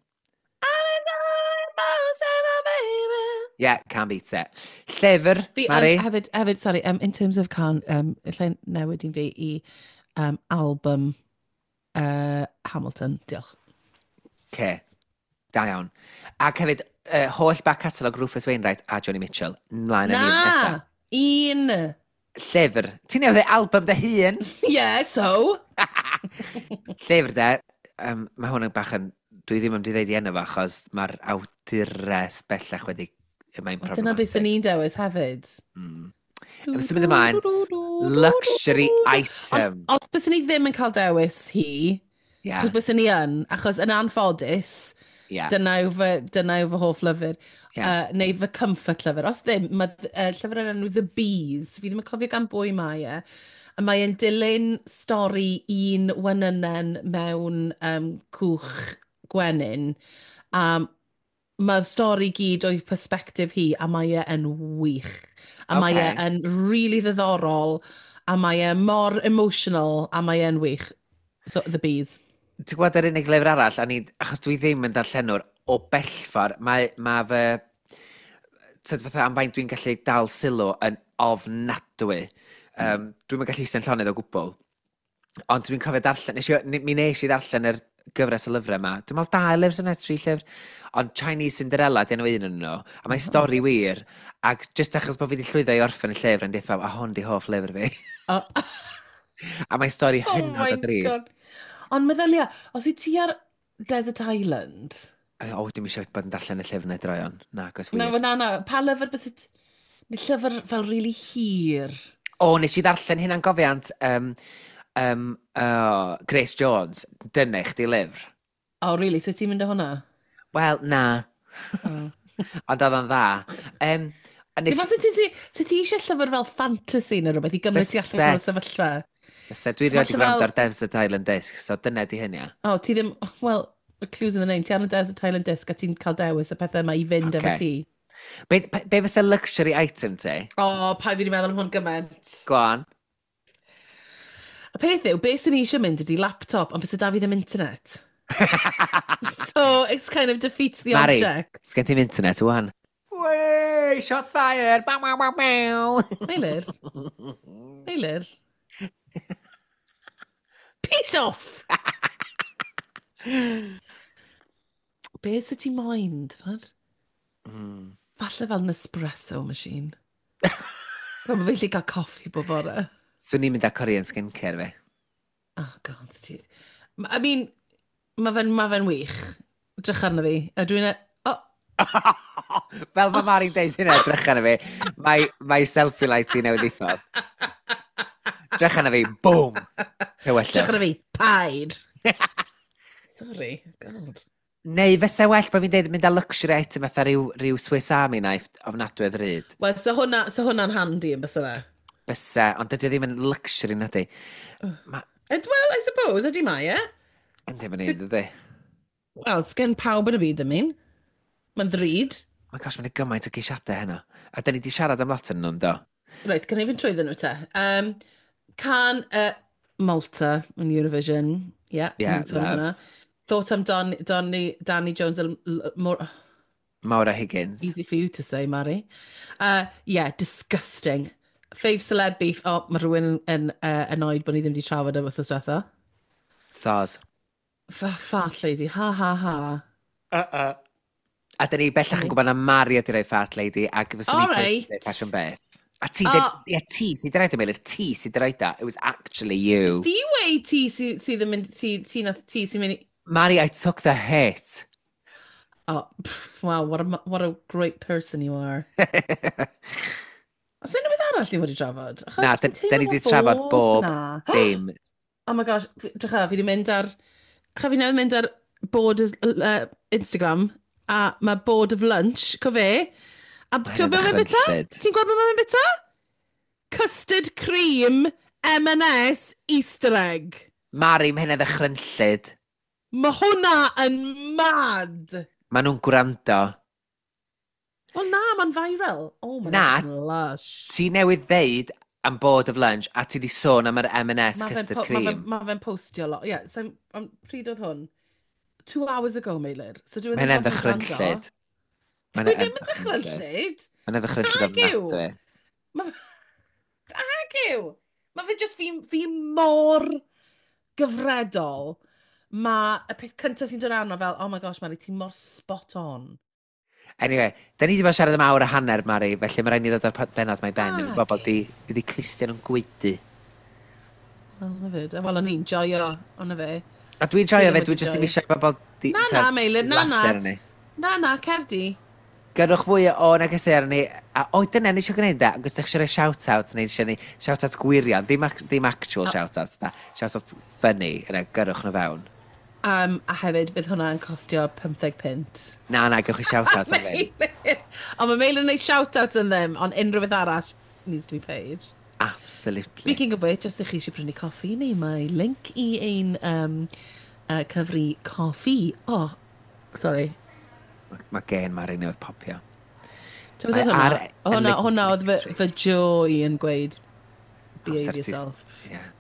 Yeah, can't beat it. Llyfr, Fi, Mari? hefyd, sorry, in terms of can, allai newid un fi i album Hamilton. Diolch. Ce. Da iawn. Ac hefyd, holl back catalogue Rufus Wainwright a Joni Mitchell. Mlaen â ni i'r Na! nesa. Un! Llyfr. Ti'n newid album dy hun? Yeah, so? Llyfr de, mae hwn yn bach yn... Dwi ddim yn mynd i ddeud i enw fo, achos mae'r awdures bellach wedi... Mae'n Wel, dyna beth sy'n problematic. ni'n dewis hefyd. Symud ymlaen, luxury item. Ond os byswn ni ddim yn cael dewis hi, achos byswn ni yn, achos yn anffodus, dyna yw fy hoff lyfr, neu fy comfort lyfr. Os ddim, mae llyfr yn enw The Bees, fi ddim yn cofio gan bwy mae e, a mae e'n dilyn stori un wenynen mewn cwch gwenyn, a mae'r stori gyd o'i perspective hi, a mae e yn wych. A mae e yn really ddiddorol, a mae e mor emotional, a mae e'n wych. So, The Bees. Ti'n gwybod yr unig lyfr arall, a ni, achos dwi ddim yn darllenwr o bellffordd, mae fy... Tyd fatha am faint dwi'n gallu dal sylw yn ofnadwy. Dwi'm yn gallu eistedd yn llonydd o gwbl. Ond dwi'n cofio darllen, mi nes i ddarllen yr gyfres o lyfrau yma. Dwi'n meddwl dau lyfr sy'n tri llyfr. Ond Chinese Cinderella, di enw un yn nhw. A mae'n stori wir. Ac jyst achos bod fi wedi llwyddo i orffen y llyfr, yn deud pawb, a hwn di hoff lyfr fi. Oh. A mae'n stori Oh hynod my o drist. God. Ond meddylia, os wyt ti ar Desert Island... O, dwi'n eisiau bod yn darllen y llyfr neu droion. Na, gos Na, wir. na, na. Pa lyfr bys it... Llyfr fel really hir. O, nes i ddarllen hynna'n gofiant Grace Jones. Dyna i chdi lyfr. Oh, really? So ti'n mynd â hwnna? Wel, na. Oh. Ond oedd o'n dda. A nes Dim ond sut ti eisiau llyfr fel fantasy neu rhywbeth i gymryd ti allan o'r Byset. sefyllfa? Fyse, dwi So rioed 'di falle gwrando fel ar Desert Island Disc, so dyna di hynny. O, ti ddim... Well, the clue's in the name. Ti ar y Desert Island Disc a ti'n cael dewis y pethau yma i fynd efo Ocê. ti. Be fysa luxury item ti? O, pa fi wedi meddwl am hwn gymaint. Go on. Y peth yw, beth sy'n eisiau mynd ydy laptop, ond beth sy'n da fi ddim internet. So, it's kind of defeats the Mari, object. sgen ti'm internet wan? Wey, shots fired! Bow, bow, bow, bow. Meilir. Meilir. Peace off! Be sy ti moyn, t'mod? Falle fel Nespresso machine. Fel bod fi'n gallu cael coffi bob bore. Swn i'n mynd â Korean skincare fi. Oh, God, ti... I mean, mae fe'n ma fe wych. Drych arno fi. A dwi'n... Oh, Fel mae Mari'n deud hynna, drych arno fi. Mae selfie light i newydd ddiffodd. Drych arno fi, boom! Tywyllwch. drych arno fi, paid! Sorry, God. Neu fysa well bod fi'n deud mynd â luxury item fatha rhyw Swiss Army knife ofnadwy o ddrud. Wel, so hwnna, so hwnna'n handy yn bysa fe? Bysa, ond dydy o ddim yn luxury na di. Ma, Ed, well, I suppose, ydy mae e? yndi ma'n un, dydy. Wel, sgen pawb yn y byd ddim un. Mae'n ddrud. My gosh, mae'n gymaint o geisiadau heno. A da ni di siarad am lot yn nhw'n do. Reit, gan i fynd trwyddyn nhw te. Can Malta yn Eurovision. Yeah, Yeah, ni'n sôn am love. hwnna. Thought I'm Donny, Danny Jones, more Maura Higgins. easy for you to say, Mari. Yeah, disgusting. Fave celeb beef. Oh, mae rhywun yn annoyed bod ni ddim wedi trafod e wythnos diwetha. Soz. Fat lady, ha ha ha. A da ni bellach yn gwybod na Mari ydi rhoi Fat Lady ac fyswn All i'n right. right. ffasiwn beth. A ti, O. ie, ti sydd wedi rhaid o Meilir, ti sydd wedi rhaid o. It was actually you. Ti wei ti sydd yn mynd, ti nath ti sy'n mynd i... Mari, I took the hit. Oh, pff, wow, what a great person you are. Oes unrhyw beth arall ni wedi trafod? Achos Na, fi'n da ni teimlo wedi trafod bod bob 'na. dim. Oh my gosh, drycha, fi wedi mynd ar... Drycha, fi newydd mynd ar board Instagram, a mae board of lunch, co fe. A Mae ti'n gwybod beth mae'n bita? ddychrynllyd. Ti'n gwybod beth mae'n bita? Custard cream, M&S, Easter egg. Mari, mae hynna ddychrynllyd. Mae hwnna yn mad. Maen nhw'n gwrando. Wel na, mae'n viral. Oh, mae'n Na. lush. Ti newydd ddeud am board of lunch a ti di sôn am yr M&S Ma' fe'n custard cream. Ma fe'n postio lot. Ie, yeah, so, pryd oedd hwn? 2 hours ago, Meilir. So dwi Mae ddim hynna'n yn gwrando. ddychrynllyd. Mae Dwi hynna'n ddim yn ddychrynllyd. Mae hynna'n ddychrynllyd Nag yw. ofnadwy. Ag yw. Mae fe just fi mor gyfredol. Mae y peth cyntaf sy'n dod arno fel, "Oh my gosh, Mari, ti'n mor spot on." Anyway, da ni wedi bod siarad am awr a hanner, Mari, felly mae rhaid ni ddod â'r benod mae ben. Ah, bobl di clustion yn gwaedu. Wel, na fyd. Wel, o'n i'n joio, ond fe. A dwi'n joio fe, dwi'n just ddim eisiau bobl di. Na, na, Meilir, na, na. Na, na, cer di. Gyrrwch fwy o negesau arni. A, o, dyna, ni eisiau gwneud da. Ac os ydych eisiau rhoi shout-out, neu eisiau ni shout-out gwirion, ddim actual shout-out, da. Shout-out funny, yna, gyrrwch nhw fewn. A hefyd, bydd hwnna'n costio 15 punt. Na, na, gewch chi shout-out am ddim. Ond mae Meilir yn gwneud shout-out yn ddim, ond unrhyw beth arall needs to be paid. Absolutely. Speaking of which, os ydych chi eisiau prynu coffi, neu mae link i ein cyfri coffi. Oh, sorry. Mae gen Mari newydd popio. Ti'n meddwl hwnna? Hwnna oedd fy Joe i yn gweud, "Behave yourself." Yeah.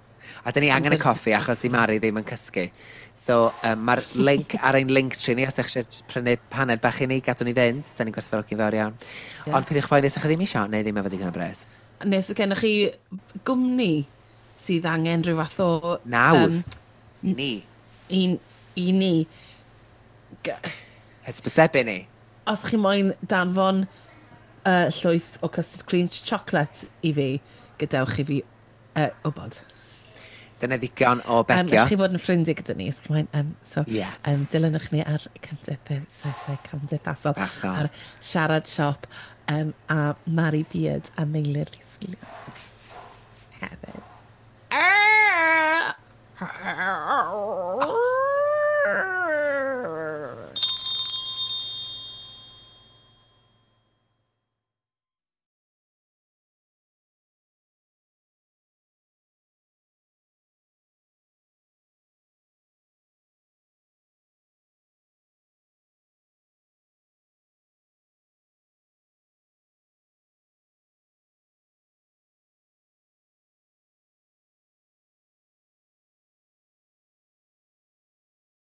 A dyn ni angen y coffi achos di Mari ddim yn cysgu. So mae'r link ar ein link tree ni, os ydych eisiau prynu paned bach i ni, gadw ni fynd. Da ni'n gwerthfawrogi'n fawr iawn. Ond peidiwch phoeni os ydych chi ddim eisiau, neu ddim efo digon o bres. Nes gennych chi gwmni sydd angen rhyw fath o Nawdd. I ni. I ni. Hysbysebu ni. Os chi moyn danfon llwyth o custard cream chocolate i fi, gadewch i fi wybod. Dyna ddigon o begio. Os chi fod yn ffrindiau gyda ni, os chi moyn, so, dilynwch ni ar cymdeithasau cymdeithasol, ar Siarad Siop, a Mari Beard a Meilir Rhys Williams hefyd.